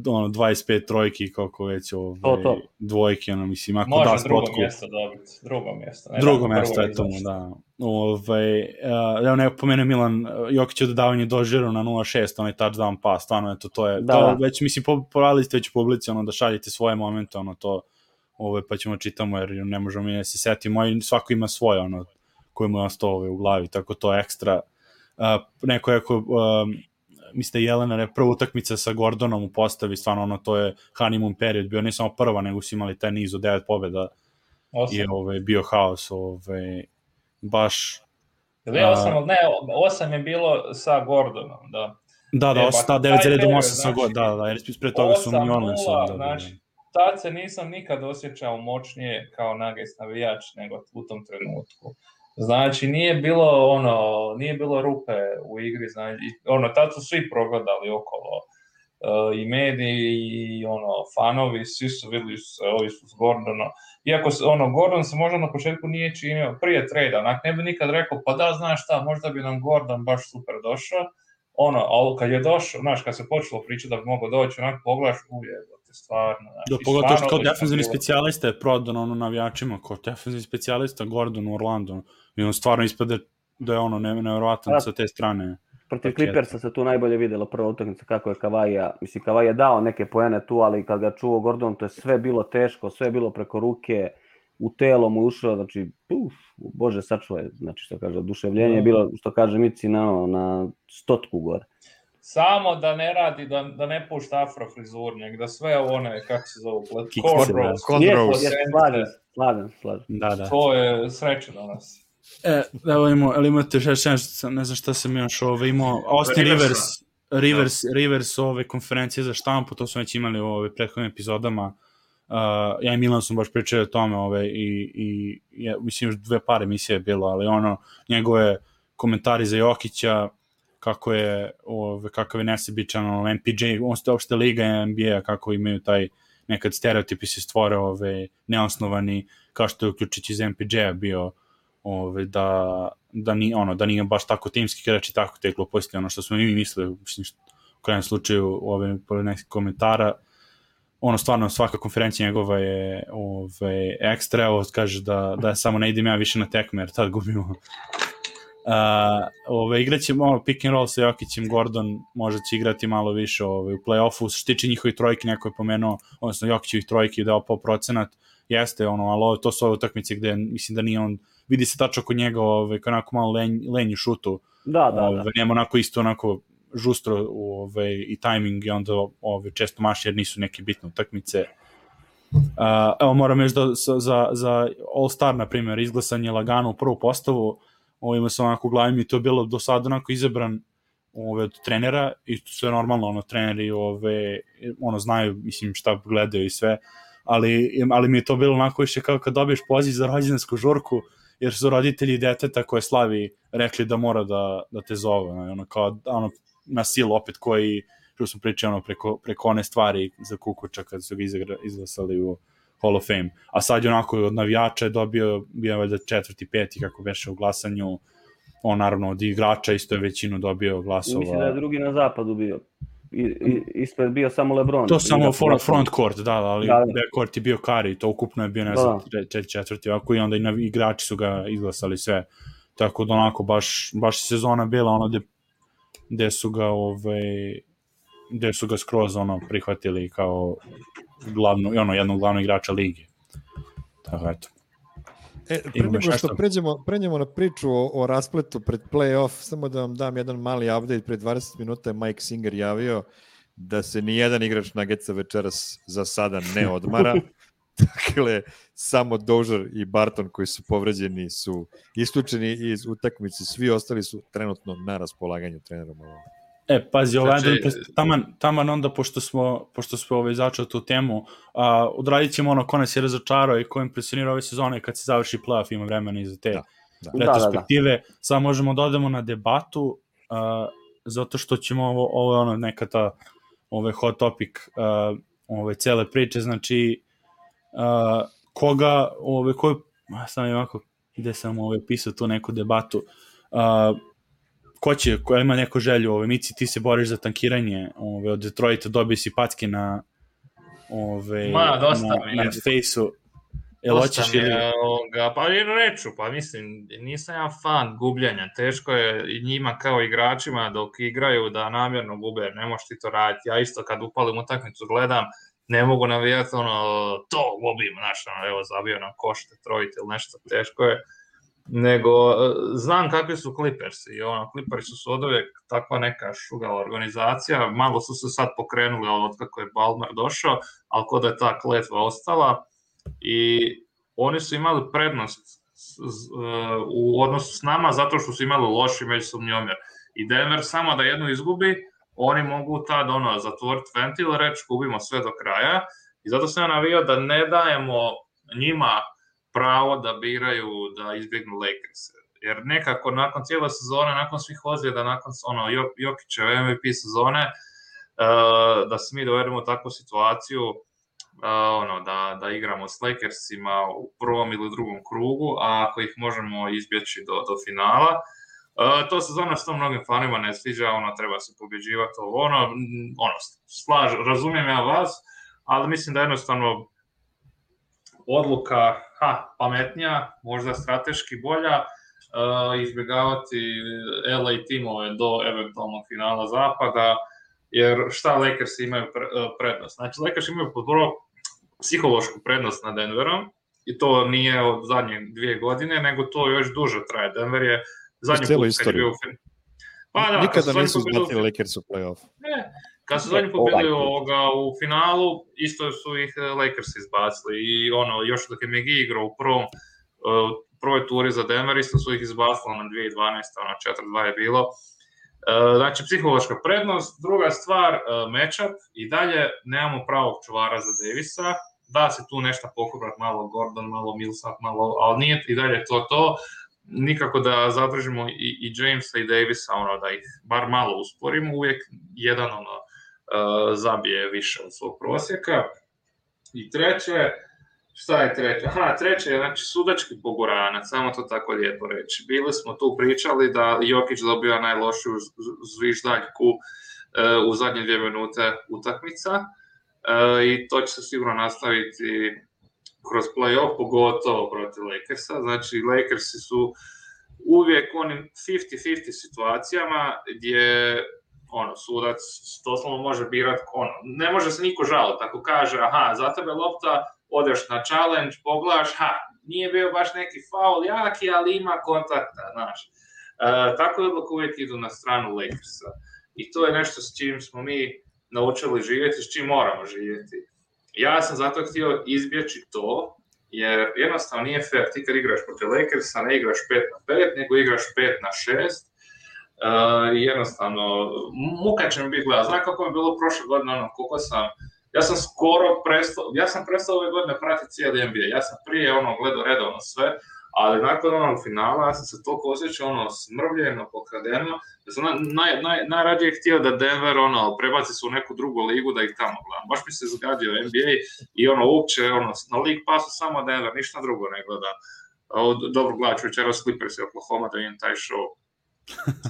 ono, dvadeset pet trojki, koliko već ove, to, to. dvojke, ono, mislim, ako može da drugo spotku. mjesto dobiti, drugo mjesto. Ne drugo da, mjesto je tomu, da. Ove, uh, evo ne pomenu Milan, Jokić je dodavanje dožiru na nula šest, onaj touchdown pas, stvarno, eto, to je, da. to, već, mislim, poradili ste već u publici, ono, da šaljete svoje momente, ono, to, ove, pa ćemo čitamo, jer ne možemo mi da se setimo, i svako ima svoje, ono, koje mu je ostao ove, u glavi, tako to je ekstra. Uh, neko je, ako, um, mislite, Jelena je prva utakmica sa Gordonom u postavi, stvarno, ono, to je honeymoon period, bio ne samo prva, nego su imali taj niz od devet pobjeda, i ove, bio haos, ove, baš... Ili je osam, ne, osam je bilo sa Gordonom, da. Da, da, osam, devet za redom osam sa Gordonom, da, da, jer ispred toga su New Orleansom. Da, znači, tad se nisam nikad osjećao moćnije kao Nuggets navijač nego u tom trenutku. Znači, nije bilo ono, nije bilo rupe u igri, znači, ono, tad su svi progledali okolo. Uh, i mediji, i ono, fanovi, svi su vidjeli se, ovi su s Gordonom. Iako ono, Gordon se možda na početku nije činio prije trejda, onak ne bi nikad rekao, pa da, znaš šta, možda bi nam Gordon baš super došao, ono, ali kad je došao, znaš, kad se počelo pričati da bi mogao doći, onak pogledaš, ujebote, stvarno, znaš. Da, pogotovo što kao defensivni specijalista je prodan ono navijačima, kao defensivni specijalista Gordon u Orlando, i on stvarno ispada da je ono nevjerovatan ne, sa te strane. Protiv Clippersa se tu najbolje vidjelo prva utakmica kako je Kavaija, mislim Kavaija je dao neke poene tu, ali kad ga čuo Gordon, to je sve bilo teško, sve je bilo preko ruke, u telo mu ušao, znači, uf, bože sačuvaj, znači što kaže, oduševljenje je bilo, što kaže Mici, na, na stotku gore. Samo da ne radi, da, da ne pušta afro frizur, nek da sve one, kako se zove, cornrows. Slažem, slažem, slažem. Da, da. To je sreće danas. E, evo imamo, ali imate še, še, ne znam šta sam još ove, imao, Austin Rivers, Rivers, no. Rivers ove konferencije za štampu, to smo već imali u ove prethodnim epizodama, uh, ja i Milan sam baš pričali o tome ove, i, i ja, mislim još dve par emisije je bilo, ali ono, njegove komentari za Jokića, kako je, ove, kakav je nesebičan, ono, M P J, on ste uopšte liga N B A, kako imaju taj, nekad stereotipi se stvore, ove, neosnovani, kao što je uključić iz M P J-a bio, Ove, da, da, ni, ono, da nije baš tako timski igrač i tako te gluposti, ono što smo mi mislili, mislim, u krajem slučaju ove, pored nekih komentara, ono stvarno svaka konferencija njegova je ove, ekstra, evo kaže da, da samo ne idem ja više na tekme, jer tad gubimo. Uh, ove, igraćemo ono, pick and roll sa Jokićem, Gordon možda će igrati malo više ove, u play-offu, što tiče njihovi trojke, neko je pomenuo, odnosno Jokićevih trojki dao po procenat, jeste, ono, ali to su ove utakmice gde mislim da nije on, vidi se tačno kod njega, ove, kao onako malo lenj, lenji šutu, da, da, ove, da. Nema onako isto onako žustro ove, i tajming i onda ove, često maši jer nisu neke bitne utakmice. Uh, evo moram još da za, za All-Star, na primjer, izglasan je lagano u prvu postavu, ovima sam onako glavim i to je bilo do sada onako izabran ove, od trenera i to sve normalno, ono, treneri ove, ono, znaju, mislim, šta gledaju i sve, ali, ali mi je to bilo onako više kao kad dobiješ poziv za rođendansku žurku, jer su roditelji deteta koje slavi rekli da mora da, da te zove, ono, kao, ono, na silu opet koji, što smo pričali, ono, preko, preko one stvari za Kukuča kad su ga izglasali u Hall of Fame, a sad je onako od navijača je dobio, bio je valjda četvrti, peti, kako beše u glasanju, on naravno od igrača isto je većinu dobio glasova. Mislim da je drugi na zapadu bio. I, i, ispred bio samo LeBron. To samo front, front court, da, ali da, da. Back court je bio Curry, to ukupno je bio, ne znam, četiri četvrti, ovako i onda i na, igrači su ga izglasali sve, tako da onako baš, baš sezona bila ono gde, gde su ga ovaj, gde su ga skroz ono prihvatili kao glavno, ono, jednog glavnog igrača lige. Tako, eto. E, pre nego što pređemo, pređemo na priču o, o raspletu pred play-off, samo da vam dam jedan mali update, pred dvadeset minuta je Mike Singer javio da se ni jedan igrač Nuggetsa večeras za sada ne odmara. Dakle, samo Dozier i Barton koji su povređeni su isključeni iz utakmice, svi ostali su trenutno na raspolaganju trenerom. E, pazi, ovaj, znači, taman, taman onda, pošto smo, pošto smo ovaj, začeli tu temu, uh, odradit ćemo ono ko nas je razočarao i ko impresionira ove sezone kad se završi playoff, ima vremena i za te da, da. retrospektive. Da, da, da. Sad možemo da odemo na debatu, uh, zato što ćemo ovo, ovo je ono neka ta ovaj hot topic uh, ove cele priče, znači uh, koga, ove, koji, sam je ovako, gde sam ovaj, pisao tu neku debatu, uh, ko će, ko ima neku želju, ove, Mici, ti se boriš za tankiranje, ove, od Detroita dobije si packe na ove, Ma, dosta na, mi na Face-u. Jel hoćeš ili... Ovoga, pa i reću, pa mislim, nisam ja fan gubljenja, teško je i njima kao igračima dok igraju da namjerno gube, ne možeš ti to raditi, ja isto kad upalim utakmicu gledam, ne mogu navijati ono, to gubim, znaš, ono, evo zabio nam koš Detroit ili nešto, teško je, nego znam kakvi su Clippersi i ono, Clippersi su od uvijek takva neka šugala organizacija, malo su se sad pokrenuli od kako je Ballmer došao, ali kod je ta kletva ostala i oni su imali prednost u odnosu s nama zato što su imali loši međusobni omjer i Denver samo da jednu izgubi, oni mogu tad ono, zatvoriti ventil, reći gubimo sve do kraja i zato sam ja navio da ne dajemo njima pravo da biraju da izbjegnu Lakers. Jer nekako nakon cijele sezone, nakon svih ozljeda, nakon ono, Jokićeve M V P sezone, uh, da se mi dovedemo u takvu situaciju uh, ono, da, da igramo s Lakersima u prvom ili drugom krugu, a ako ih možemo izbjeći do, do finala. Uh, to se zona s tom mnogim fanima ne sviđa, ono, treba se pobjeđivati, ovo, ono, ono, slaž, razumijem ja vas, ali mislim da jednostavno odluka, ha, pametnija, možda strateški bolja, uh, izbjegavati L A timove do eventualnog finala zapada, jer šta Lakers imaju prednost? Znači, Lakers imaju prvo psihološku prednost nad Denverom, i to nije od zadnje dvije godine, nego to još duže traje. Denver je zadnji put kad je bio u finalu. Pa da, nikada nisu zbatili Lakers u play-off. Ne, kad su zadnji put bili u finalu, isto su ih Lakers izbacili. I ono, još dok je McGee igrao u prvom, uh, prvoj turi za Denver, isto su ih izbacili na dvije tisuće dvanaeste. Ono, četiri dva je bilo. Uh, znači, psihološka prednost. Druga stvar, uh, matchup. I dalje nemamo pravog čuvara za Davisa. Da se tu nešto pokuprat, malo Gordon, malo Millsap, malo, ali nije i dalje to to. Nikako da zadržimo i, i Jamesa i Davisa, ono, da ih bar malo usporimo, uvijek jedan ono, uh, zabije više od svog prosjeka. I treće, šta je treće? Aha, treće je, znači, sudački poguranac, samo to tako lijepo reći. Bili smo tu pričali da Jokić dobija najlošiju zviždaljku uh, u zadnje dvije minute utakmica, uh, i to će se sigurno nastaviti kroz play-off, pogotovo protiv Lakersa. Znači, Lakersi su uvijek onim pedeset pedeset situacijama gdje ono, sudac doslovno može birati, ono, ne može se niko žaliti. Ako kaže, aha, za tebe lopta, odeš na challenge, pogledaš, ha, nije bio baš neki faul jaki, ali ima kontakta, znaš. E, tako je odluka uvijek idu na stranu Lakersa. I to je nešto s čim smo mi naučili živjeti, s čim moramo živjeti. Ja sam zato htio izbjeći to, jer jednostavno nije fair, ti kad igraš protiv Lakersa ne igraš pet na pet, nego igraš pet na šest. Uh, jednostavno, muka će mi biti gledati. Znam kako mi je bilo prošle godine, ono, koliko sam, ja sam skoro prestao, ja sam prestao ove godine pratiti cijeli N B A, ja sam prije ono gledao redovno sve, ali nakon onog finala ja sam se toliko osjećao ono smrvljeno, pokradeno, da sam naj, naj, najradije htio da Denver ono prebaci se u neku drugu ligu da ih tamo gledam. Baš mi se zgadio N B A i ono uopće ono, na League Passu samo Denver, ništa drugo ne gledam. Dobro, gledat ću večeras Clippers i Oklahoma da imam taj show.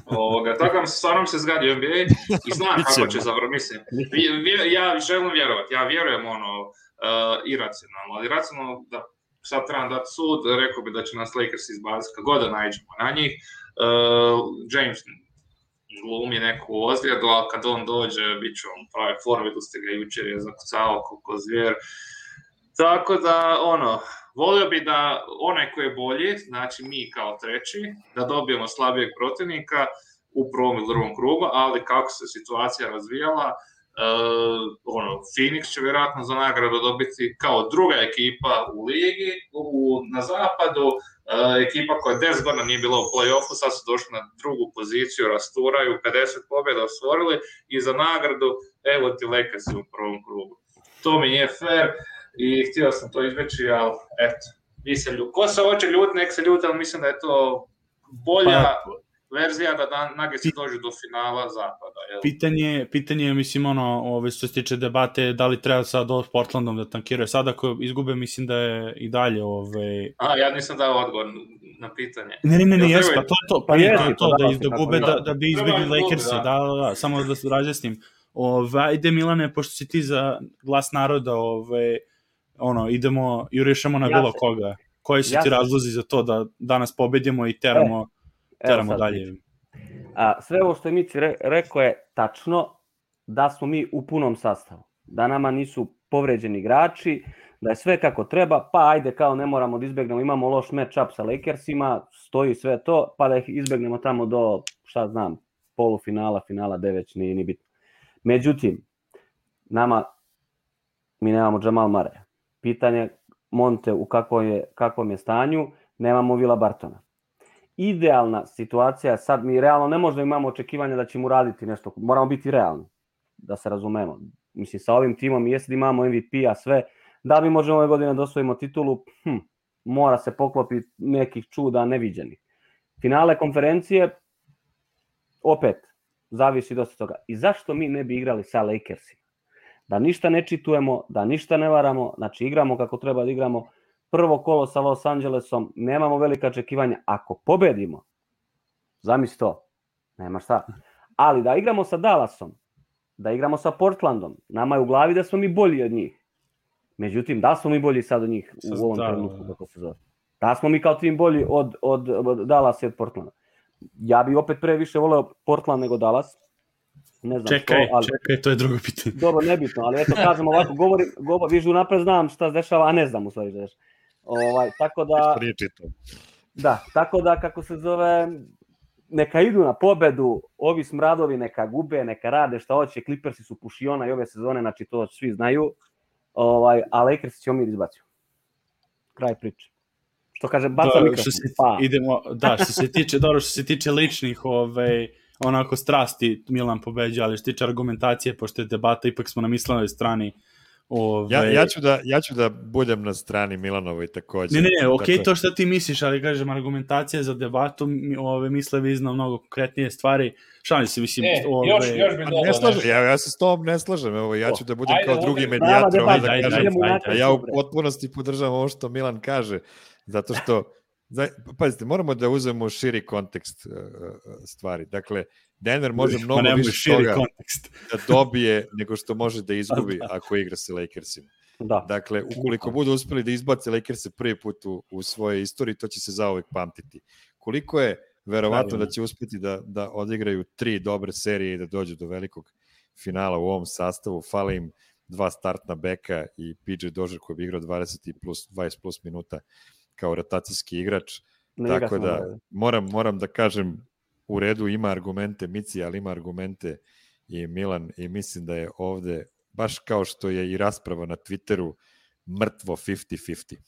Ovoga, tako mi se stvarno se zgadio N B A i znam kako će zavrati, mislim. Ja želim vjerovati, ja vjerujem ono uh, iracionalno, ali racionalno da sad trebam dati sud, rekao bi da će nas Lakers izbaciti kako god da nađemo na njih. Uh, James glumi neku ozljedu, ali kad on dođe, bit će on pravi form, vidu ste ga jučer je zakucao kako zvijer. Tako da, ono, volio bi da onaj koji je bolji, znači mi kao treći, da dobijemo slabijeg protivnika u prvom ili drugom krugu, ali kako se situacija razvijala, Uh, ono, Phoenix će vjerojatno za nagradu dobiti kao druga ekipa u ligi, u, na zapadu, uh, ekipa koja deset godina nije bila u play-offu, sad su došli na drugu poziciju, rasturaju, pedeset pobjeda osvojili i za nagradu, evo ti Lakersi u prvom krugu. To mi nije fair i htio sam to izveći, ali eto, vi se ljuti. Ko se hoće ljuti, nek se ljuti, ali mislim da je to bolja verzija da Nuggetsi dođu do finala zapada. Jel? Pitanje, pitanje je, mislim, ono, ove, što se tiče debate, da li treba sad ovo s Portlandom da tankiraju. Sad ako izgube, mislim da je i dalje... Ove... A, ja nisam dao odgovor na pitanje. Ne, ne, ne, ne, jespa, to je to, pa je to, to da izgube, da, da bi izbjegli Lakersi, da, da, da, samo da se razjasnim. Ove, ajde, Milane, pošto si ti za glas naroda, ove, ono, idemo i rešamo na ja bilo se, koga. Koji su ja ti razlozi za to da danas pobedimo i teramo... E. Teramo dalje. A, sve ovo što je Mici re, rekao je tačno, da smo mi u punom sastavu. Da nama nisu povređeni igrači, da je sve kako treba, pa ajde kao ne moramo da izbegnemo, imamo loš match-up sa Lakersima, stoji sve to, pa da ih izbegnemo tamo do, šta znam, polufinala, finala, devet, nije ni bitno. Međutim, nama, mi nemamo Jamal Murray. Pitanje Monte u kakvom je, kakvom je stanju, nemamo Vila Bartona. Idealna situacija, sad mi realno ne možda imamo očekivanja da ćemo raditi nešto, moramo biti realni, da se razumemo. Mislim, sa ovim timom, jesi da imamo M V P-a sve, da mi možemo ove godine da osvojimo titulu, hm, mora se poklopiti nekih čuda neviđenih. Finale konferencije, opet, zavisi dosta toga. I zašto mi ne bi igrali sa Lakersima? Da ništa ne čitujemo, da ništa ne varamo, znači igramo kako treba da igramo, prvo kolo sa Los Angelesom, nemamo velika očekivanja. Ako pobedimo, Zamisli to. Nema šta. Ali da igramo sa Dallasom, da igramo sa Portlandom, nama je u glavi da smo mi bolji od njih. Međutim, da smo mi bolji sad od njih u ovom trenutku, kako se zove. Da smo mi kao tim bolji od, od, od Dallasa i od Portlanda. Ja bi opet pre više voleo Portland nego Dallas. Ne znam čekaj, što, ali... čekaj, to je drugo pitanje. Dobro, nebitno, ali eto, kažem ovako, govorim, govor, vižu napred znam šta se dešava, a ne znam u stvari šta dešava. Ovaj, tako da... Da, tako da, kako se zove, neka idu na pobedu, ovi smradovi neka gube, neka rade šta hoće, Clippersi su pušiona i ove sezone, znači to svi znaju, ovaj, a Lakers će omir izbaciti. Kraj priče. Što kaže, baca mikrofon. Pa. Idemo, da, što se tiče, dobro, što se tiče ličnih, ovaj, onako strasti, Milan pobeđa, ali što se tiče argumentacije, pošto je debata, ipak smo na Milanovoj strani. Ove... Ja, ja, ću da, ja ću da budem na strani Milanovoj također. Ne, ne, ne, okej, dakle... to što ti misliš, ali kažem, argumentacija za debatu, ove, misle vi zna mnogo konkretnije stvari. Šalim se, mislim... E, ove... još, još bi ne slažem, ja, ja se s tobom ne slažem, evo, ja ću da budem ajde, kao drugi medijator, ovaj, da kažem, ja u potpunosti podržavam ovo što Milan kaže, zato što, pazite, moramo da uzmemo širi kontekst uh, stvari, dakle, Denver može mnogo više toga kontekst. Da dobije nego što može da izgubi ako igra sa Lakersima. Da. Dakle, ukoliko budu uspeli da izbace Lakerse prvi put u, u svojoj istoriji, to će se zauvek pamtiti. Koliko je verovatno da će uspeti da, da odigraju tri dobre serije i da dođu do velikog finala u ovom sastavu, fale im dva startna beka i P J Dozier koji bi igrao dvadeset plus, dvadeset plus minuta kao rotacijski igrač. Ne Tako da moram, moram da kažem u redu ima argumente Mici, ali ima argumente i Milan i mislim da je ovde, baš kao što je i rasprava na Twitteru, mrtvo pedeset pedeset.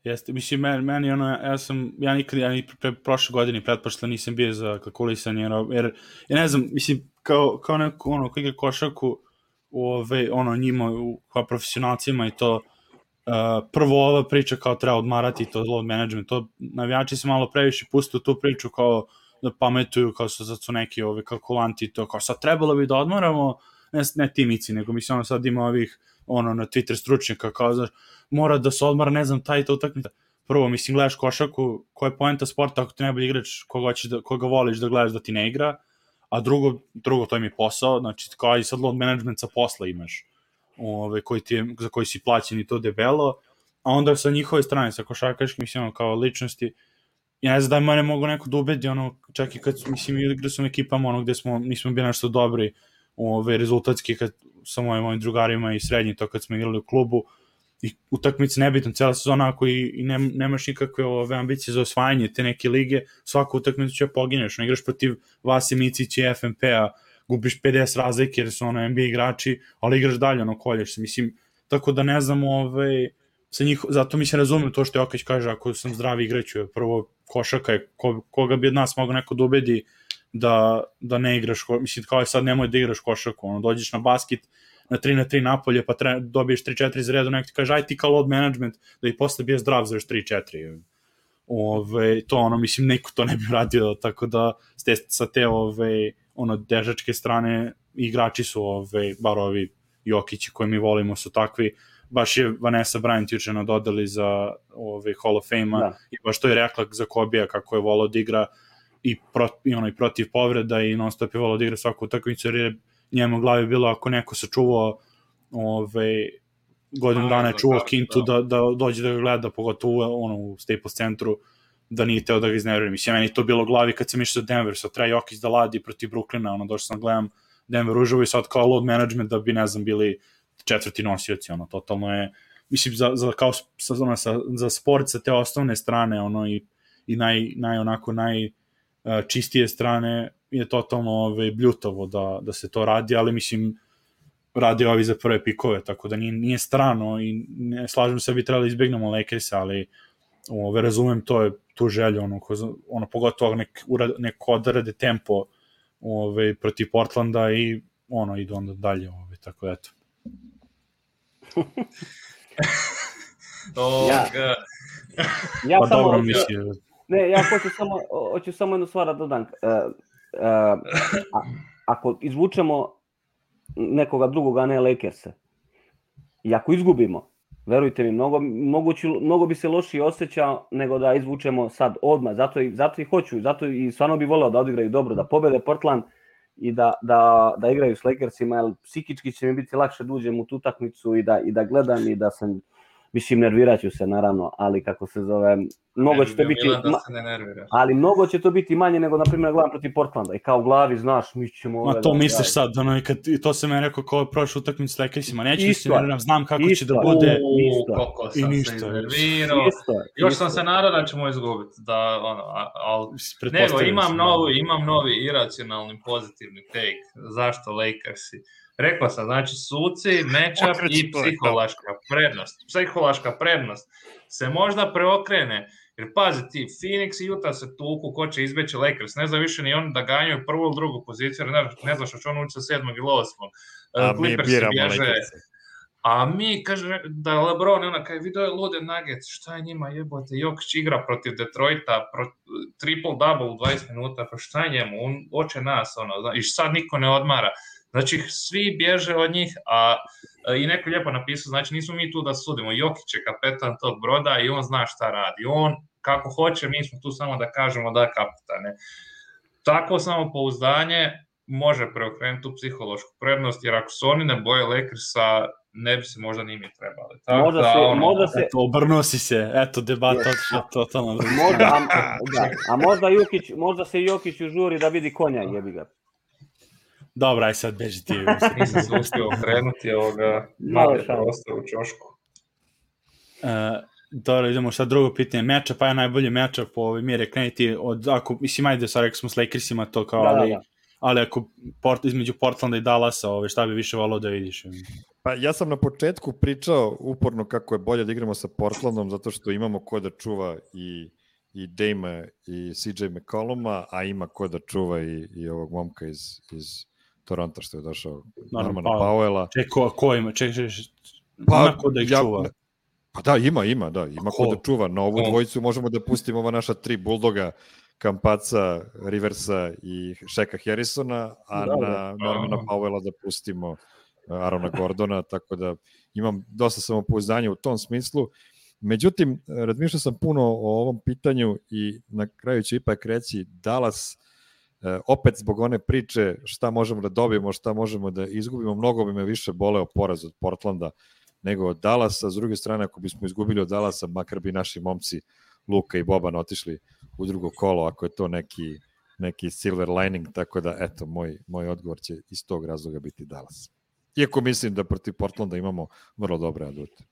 Jeste, mislim, meni, meni ono, ja sam, ja nikad, ja ni pre, prošle godine pretpošla nisam bio za kalkulisanje, jer, ja ne znam, mislim, kao, kao neko, ono, koji igra košarku, ove, ono, njima, kao profesionalcima i to, Uh, prvo ova priča kao treba odmarati to load management, to navijači se malo previše puste u tu priču kao da pametuju, kao su, su neki ovi kalkulanti, to kao sad trebalo bi da odmaramo, ne, ne ti Mici, nego mislim ono sad ima ovih ono na Twitter stručnjaka kao znaš, mora da se odmara, ne znam, taj to utakmica. Prvo, mislim, gledaš košarku, koja je poenta sporta ako ti najbolji igrač koga, da, koga voliš da gledaš da ti ne igra, a drugo, drugo to im je posao, znači kao i sad load management sa posla imaš. Ove, koji ti je, za koji si plaćen i to debelo, a onda sa njihove strane, sa košarkaškim, mislim, ono, kao ličnosti, ja ne znam da mene mogu neko da ubedi, ono, čak i kad, mislim, igra sam ekipama, ono, gde smo, nismo bili nešto dobri, ove, rezultatski, kad sa mojim, mojim drugarima i srednji, to kad smo igrali u klubu, i utakmice nebitno, cijela sezona, ako i, i ne, nemaš nikakve ove ambicije za osvajanje te neke lige, svaku utakmicu će pogineš, ono, igraš protiv Vase Micića i F N P-a, gubiš pedeset razlike jer su ono N B A igrači, ali igraš dalje, ono, kolješ se, mislim, tako da ne znam, ovaj, sa njih, zato mi se razumem to što Jokić kaže, ako sam zdravi igraću, prvo košaka je, ko, koga bi od nas mogo neko da ubedi da, da ne igraš, mislim, kao je sad nemoj da igraš košaku, ono, dođeš na basket, na tri na tri napolje, pa tre, dobiješ tri četiri za redu, neko ti kaže, aj ti kao load management, da i posle bio zdrav za još tri četiri, ove, to ono, mislim, neko to ne bi radio, tako da ste sa te, ove, ono, dežačke strane igrači su, ove, bar ovi Jokići koji mi volimo su takvi, baš je Vanessa Bryant juče nadodali za ove, Hall of Fame-a da. I baš to je rekla za Kobija kako je volao da igra i, pro, i, ono, i protiv povreda i non stop je volao da igra svaku utakmicu jer je njemu u glavi bilo ako neko sačuvao ove, godinu dana je čuvao Kintu da, da dođe da ga gleda, pogotovo ono, u Staples centru, da nije teo da ga iznevrim. Mislim, meni to bilo u glavi kad sam išao za Denver, sad treba Jokić da ladi protiv Brooklyna, ono, došao sam gledam Denver uživo i sad kao load management da bi, ne znam, bili četvrti nosioci, ono, totalno je, mislim, za, za, kao, za, za, za sport sa te osnovne strane, ono, i, i naj, naj, onako, najčistije strane je totalno ove, bljutavo da, da se to radi, ali, mislim, radi ovi za prve pikove, tako da nije, nije strano i ne slažem se da bi trebali izbjegnemo Lakers, ali ove, razumem to je tu želju, ono, ko, ono pogotovo nek, neko odrade tempo ove, protiv Portlanda i ono, idu onda dalje, ove, tako da eto. oh, ja, ja pa samo, dobro misli. Ne, ja hoću samo, hoću samo jednu stvar da dodam. Uh, uh, a, ako izvučemo nekoga drugoga, ne Lakersa, i ako izgubimo, verujte mi, mnogo, mnogo, ću, mnogo bi se lošije osjećao nego da izvučemo sad odmah, zato i, zato i hoću, zato i stvarno bi voleo da odigraju dobro, da pobede Portland i da, da, da igraju s Lakersima, jer psihički će mi biti lakše da uđem u tu utakmicu i da, i da gledam i da sam, mislim, nervirat ću se naravno, ali kako se zove, mnogo će to biti, da se ne nerviraš. Ali mnogo će to biti manje nego, na primjer, gledam protiv Portlanda i kao u glavi, znaš, mi ćemo... Ma to misliš sad, ono, i kad, to sam ja rekao kao prošlu utakmicu s Lakersima, neću se nerviram, znam kako isto, će da bude isto, koliko sam i ništa, se iznervirao, još isto. Sam se nadao da ćemo izgubiti, da, ono, ali, nego, imam novi, imam novi iracionalni pozitivni take, zašto Lakersi. Rekao sam, znači suci, matchup i psihološka prednost. Psihološka prednost se možda preokrene, jer pazi ti, Phoenix i Utah se tuku, ko će izbeći Lakers, ne zna više ni oni da ganjaju prvu ili drugu poziciju, jer ne, ne znaš što će on ući sa sedmog ili osmog. Clippers bježe. A mi, kaže, da LeBron, ona kaže, vidio je lude Nuggets, šta je njima jebote, Jokić igra protiv Detroita, pro, triple-double u dvadeset minuta, pa šta je njemu, on oče nas, ono, i sad niko ne odmara. Znači, svi bježe od njih, a i neko lijepo napisao, znači nismo mi tu da sudimo, Jokić je kapetan tog broda i on zna šta radi. On, kako hoće, mi smo tu samo da kažemo da je kapetane. Takvo samopouzdanje može preokrenuti tu psihološku prednost, jer ako su oni ne boje Lakersa, ne bi se možda ni mi trebali. Tako možda da, se, ono, možda se... Eto, obrnuo si se, eto, debata yes. totalno. Možda, a, da, a možda, Jokić, možda se Jokić užuri da vidi konja, jebi ga. Dobro, aj sad beži ti. Nisam se uspio okrenuti ovoga malo prostor u čošku. Uh, dobro, idemo sad drugo pitanje. Matchup, pa je najbolji matchup po ovoj mjere kreniti od, ako, mislim, ajde, sad rekao smo s Lakersima to kao, da, ali, da. ali ako port, između Portlanda i Dallasa, ove, šta bi više volao da vidiš? Pa ja sam na početku pričao uporno kako je bolje da igramo sa Portlandom, zato što imamo ko da čuva i i Dame i C J McColluma, a ima ko da čuva i, i ovog momka iz, iz Toronto što je došao, Normana Powella. Ček, ko, ko ima? Ček, ček, pa, ima ko da ih ja, čuva? Pa da, ima, ima, da, ima ko, ko da čuva. Na ovu dvojicu možemo da pustimo ova naša tri Bulldoga, Kampaca, Riversa i Shaka Harrisona, a da, na Normana Powella da pustimo Arona Gordona, tako da imam dosta samopouzdanja u tom smislu. Međutim, razmišljao sam puno o ovom pitanju i na kraju ću ipak reći Dallas, opet zbog one priče šta možemo da dobijemo, šta možemo da izgubimo, mnogo bi me više boleo poraz od Portlanda nego od Dallasa. S druge strane, ako bismo izgubili od Dallasa, makar bi naši momci Luka i Boban otišli u drugo kolo, ako je to neki, neki silver lining, tako da, eto, moj, moj odgovor će iz tog razloga biti Dallas. Iako mislim da protiv Portlanda imamo vrlo dobre adute.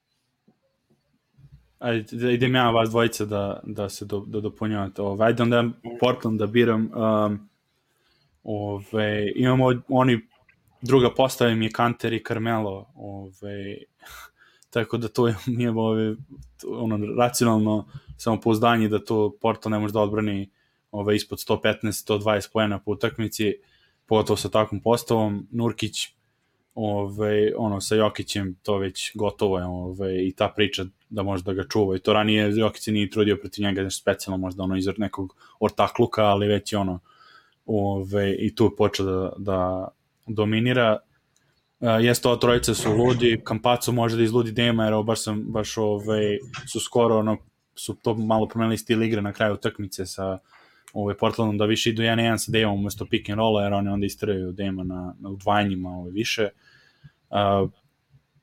Ajde, idem ja vas dvojica da, da se do, da dopunjavate. Ove, ajde onda Portland da biram. Um, ove, imamo oni, druga postava im je Kanter i Carmelo. Ove, tako da to nije ove, ono, racionalno samopouzdanje da to Portland ne može da odbrani ove, ispod sto petnaest do sto dvadeset poena po utakmici, pogotovo sa takvom postavom. Nurkić, ove, ono, sa Jokićem to već gotovo je, ove, i ta priča da može da ga čuva, i to ranije Jokić se nije trudio protiv njega nešto specijalno, možda ono iz nekog ortakluka, ali već je ono, ove, i tu je počeo da, da dominira. Uh, jeste, ova trojica su ludi, Campazzo može da izludi Dema, jer baš, sam, baš ove, su skoro ono, su to malo promenili stil igre na kraju utakmice sa ove, Portlandom, da više idu jedan jedan sa Demom umesto pick and rolla, jer oni onda istraju Dema na, na udvajanjima ove, više. Uh,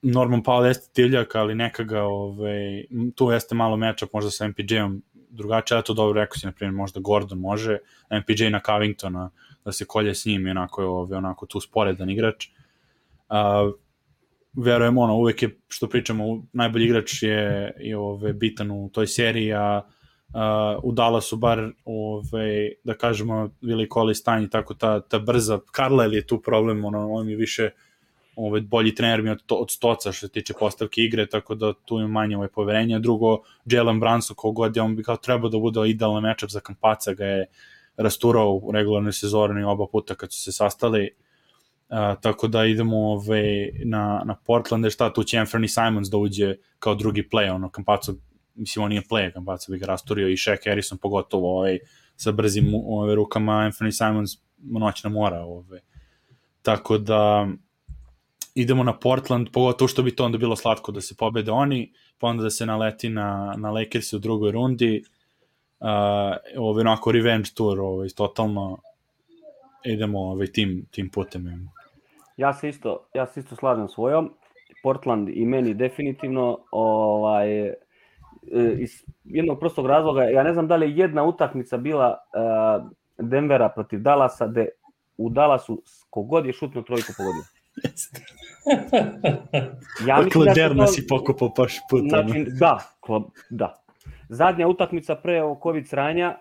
Norman Powell jeste divljak, ali neka ga, ove, tu jeste malo matchup možda sa M P J-om drugačije, ja to dobro rekao si, na primjer, možda Gordon može, M P J na Covingtona, da se kolje s njim, onako je ove, onako tu sporedan igrač. Uh, verujem, ono, uvek je, što pričamo, najbolji igrač je, je ove, bitan u toj seriji, a uh, u Dallasu bar, ove, da kažemo, Willie Cauley-Stein i tako ta, ta brza, Carlisle je tu problem, ono, on je više ovaj, bolji trener mi od, od Stoca što se tiče postavke igre, tako da tu ima manje ovaj, poverenja. Drugo, Jalen Brunson, kogod je, on bi kao trebao da bude idealan matchup za Campazza, ga je rasturao u regularnoj sezoni oba puta kad su se sastali. Uh, tako da idemo ovaj, na, na Portland, šta tu će Anthony Simons da uđe kao drugi play, ono, Campazzo, mislim, on nije play, Campazzo bi ga rasturio i Shaq Harrison pogotovo ovaj, sa brzim ovaj, rukama, Anthony Simons noćna mora. Ovaj. Tako da idemo na Portland, pogotovo što bi to onda bilo slatko da se pobede oni, pa onda da se naleti na, na Lakers u drugoj rundi, uh, ovaj, onako revenge tour, ovaj, totalno idemo ovaj, tim, tim putem. Ja se isto, ja se isto slažem svojom. Portland i meni definitivno ovaj, iz jednog prostog razloga, ja ne znam da li je jedna utakmica bila uh, Denvera protiv Dallasa, gde u Dallasu kogod je šutno trojku pogodio. Ja mislim da se to... si pokupao paš puta. Znači, da, da. Zadnja utakmica pre COVID sranja,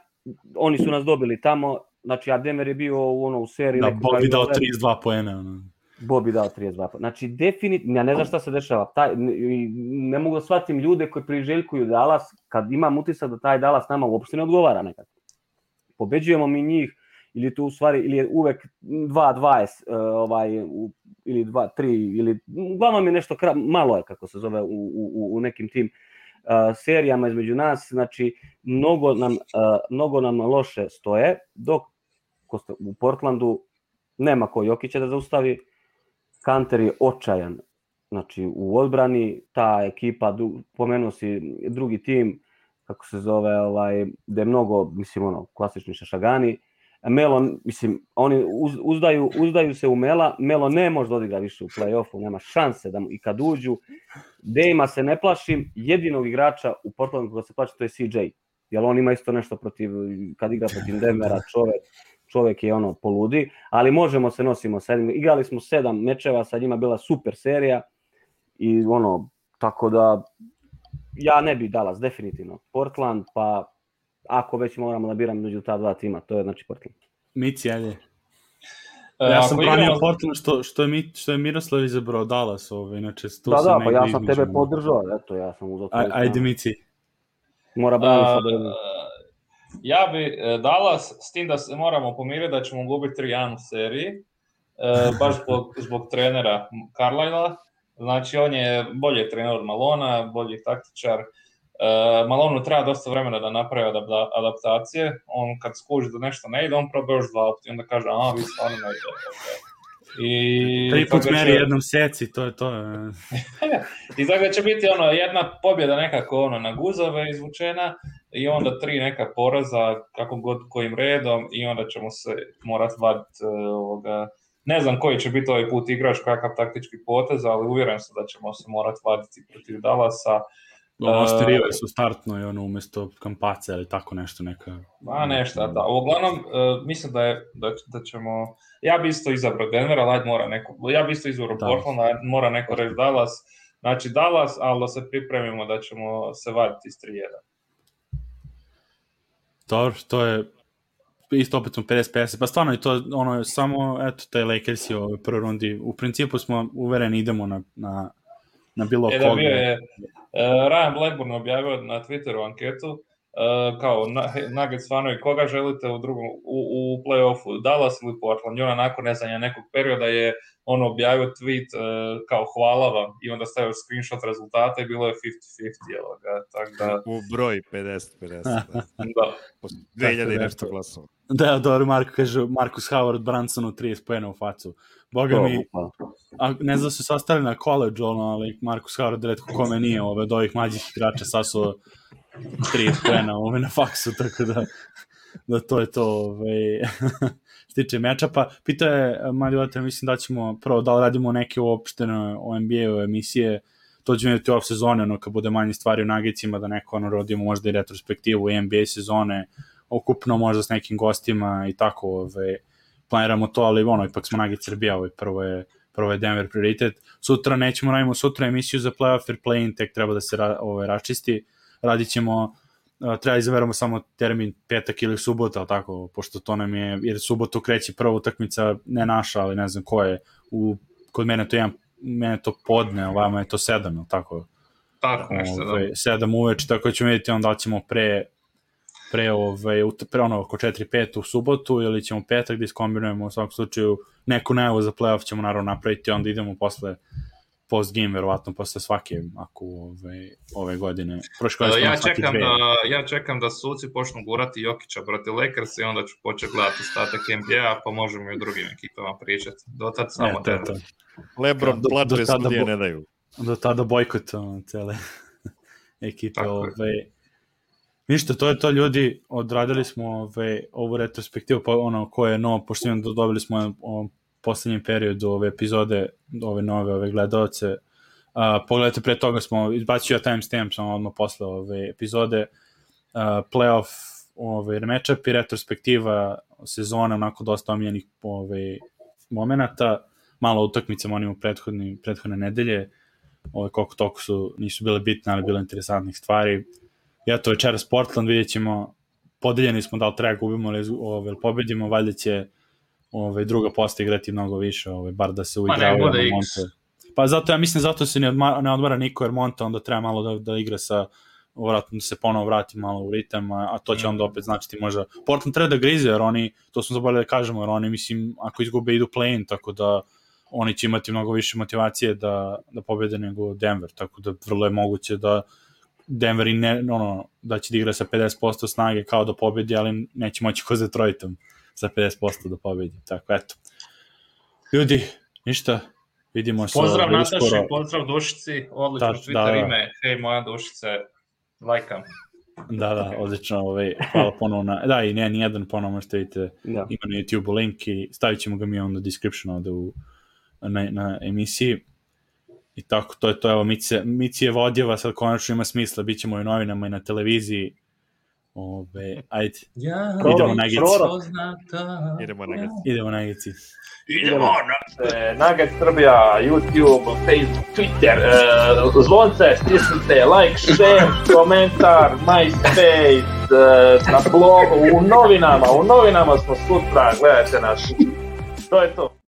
oni su nas dobili tamo, znači, a Denver je bio u, ono, u seriji... Da, Bobby dao trideset dva poena. Ono. Bobby dao trideset dva poena. Znači, definitivno, ja ne znam šta se dešava. Taj, ne mogu da shvatim ljude koji priželjkuju Dallas, kad imam utisak da taj Dallas nama uopšte ne odgovara nekako. Pobeđujemo mi njih, ili tu u stvari, ili je uvek dva dvadeset, ovaj, ili dva tri, ili uglavnom je nešto, malo je kako se zove u, u, u nekim tim uh, serijama između nas, znači mnogo nam, uh, mnogo nam loše stoje, dok u Portlandu nema ko Jokića da zaustavi, Kanter je očajan, znači u odbrani, ta ekipa, pomenuo si drugi tim, kako se zove, ovaj, da je mnogo, mislim, ono, klasični šašagani. Melo, mislim, oni uz, uzdaju, uzdaju se u Mela, Melo ne može da odigra više u play-offu, nema šanse da i kad uđu. Dejma se ne plašim, jedinog igrača u Portlandu koga se plaši, to je C J, jer on ima isto nešto protiv, kad igra protiv Denvera, čovek, čovek je ono poludi, ali možemo se nosimo sa jednim, igrali smo sedam mečeva, sa njima bila super serija i ono, tako da ja ne bih Dallas, definitivno. Portland, pa ako već moramo da biramo među ta dva tima, to je znači Portland. Mici, ajde. Ja sam branio igramo... Portland što, što, je, što je Miroslav izabrao Dallas, ovaj, inače to da, se da, negdje pa ja sam između... tebe podržao, eto, ja sam uzao... Aj, ajde, Mici. Mora braniti sad. Uh, ja bi Dallas, s tim da se moramo pomiriti da ćemo gubiti tri jedan u seriji, uh, baš zbog, zbog trenera Carlisla. Znači, on je bolji trener od Malona, bolji taktičar. Uh, Malonu treba dosta vremena da napravi adaptacije. On kad skuži da nešto ne ide, on proba još dva opcije, onda kaže, a, vi stvarno ne ide. I tri put meri će... jednom seci, to je to. I tako će biti ono, jedna pobjeda nekako ono, na guzove izvučena i onda tri neka poraza, kako god kojim redom, i onda ćemo se morati vaditi uh, ovoga... Ne znam koji će biti ovaj put igrač, kakav taktički potez, ali uvjeren sam da ćemo se morati vaditi protiv Dallasa. Osterio su startno i ono umjesto Kampaca ili tako nešto neka... Ma nešto, da. Uglavnom, uh, mislim da, je, da, da ćemo... Ja bi isto izabrao Denver, ali mora neko... Ja bi isto izabrao Portland, mora neko reći Dallas. Znači Dallas, ali da se pripremimo da ćemo se vaditi iz tri jedan. Dobro, to je... Isto opet smo pedeset pedeset, pa stvarno je to ono, samo, eto, taj Lakers je u prvoj rundi. U principu smo uvereni idemo na, na, na bilo e, koga. Da bio je, uh, Ryan Blackburn objavio na Twitteru anketu, uh, kao Nuggets fanovi, koga želite u drugom, u, u play-offu, Dallas ili Portland, i on nakon ne znam nekog perioda je on objavio tweet uh, kao hvala vam i onda stavio screenshot rezultata i bilo je pedeset pedeset, tako da... U broj pedeset pedeset, da. Da. dve hiljade i nešto glasova. Da, dobro, Marko kaže, Marcus Howard Brunsonu trideset poena u facu. Boga mi, a, ne znam da su sastali na college, ono, ali Marcus Howard redko kome nije ove, od ovih mlađih igrača sasuo trideset poena ove, na faksu, tako da, da to je to ove, što tiče meča. Pa pitao je, mali otel, mislim da ćemo prvo da radimo neke uopštene o N B A-u emisije, to ćemo imati off sezone, ono, kad bude manje stvari u Nuggetsima, da neko ono rodimo možda i retrospektivu N B A sezone, okupno možda s nekim gostima i tako, ove, planiramo to, ali ono, ipak smo Nuggets Srbija, ovaj, prvo je, prvo je Denver prioritet. Sutra nećemo radimo sutra emisiju za playoff, jer play-in tek treba da se ra, ovaj, račisti. Radit ćemo, uh, treba izaberamo samo termin petak ili subota, ali tako, pošto to nam je, jer subotu kreće prva utakmica, ne naša, ali ne znam ko je, u, kod mene to jedan, mene to podne, ovama je to sedam, ali tako? Tako nešto, ovaj, da. sedam uveč, tako ćemo vidjeti onda ćemo pre pre, ovaj, pre ono oko četiri pet u subotu ili ćemo petak da iskombinujemo u svakom slučaju neku najavu za playoff ćemo naravno napraviti, onda idemo posle post game verovatno posle svake ako ove ove godine. Prošle godine ja čekam da ja čekam da suci počnu gurati Jokića protiv Lakersa i onda ću početi gledati ostatak N B A, pa možemo i o drugim ekipama pričati. Do tad samo e, to, to. LeBron plače studije ne daju. Do tada bojkot cele ekipe ove. Ništa, to je to ljudi, odradili smo ove, ovu retrospektivu, pa ono ko je novo, pošto imam dobili smo u poslednjem periodu ove epizode, ove nove ove gledalce. Uh, pogledajte, pre toga smo izbacio timestamp samo odmah posle ove epizode, uh, playoff ove matchup i retrospektiva sezone, onako dosta omiljenih ove momenata, malo utakmice onim u prethodni, prethodne nedelje, ove koliko toliko su, nisu bile bitne, ali bilo interesantnih stvari. Ja to večeras Portland, vidjet ćemo, podeljeni smo da li treba gubimo ili pobedimo, valjda će ove, druga posta igrati mnogo više, ove, bar da se uigravaju na Monte. Pa zato ja mislim, zato se ne, odmara, ne odmara niko, jer Monte onda treba malo da, da igra sa, vratno da se ponovo vrati malo u ritam, a, a to će onda opet značiti možda. Portland treba da grize, jer oni, to smo zaboravili da kažemo, jer oni, mislim, ako izgube idu play-in, tako da oni će imati mnogo više motivacije da, da pobede nego Denver, tako da vrlo je moguće da Denver i ne, ono, da će da igra sa pedeset posto snage kao da pobedi, ali neće moći ko za Detroitom sa pedeset posto da pobedi. Tako, eto. Ljudi, ništa, vidimo se. Pozdrav Nataši, skoro. Pozdrav Dušici, odlično da, Twitter da, ime, hej moja Dušice, lajkam. Da, da, odlično, ovaj, hvala ponovno na, da, i ne, nijedan ponovno možete vidite, da. Ima na YouTube link i stavit ćemo ga mi onda u description ovde u, na, na emisiji. I tako, to je to, evo, Micije Vodjeva sad konačno ima smisla, bit ćemo i u novinama i na televiziji. Ove, ajde, ja, idemo na Gici. Idemo na Gici. Idemo na Gici. Idemo na Nugget Srbija, YouTube, Facebook, Twitter, uh, zvonce, stisnite, like, share, komentar, MySpace, uh, na blogu, u novinama, u novinama smo sutra, gledajte nas. To je to.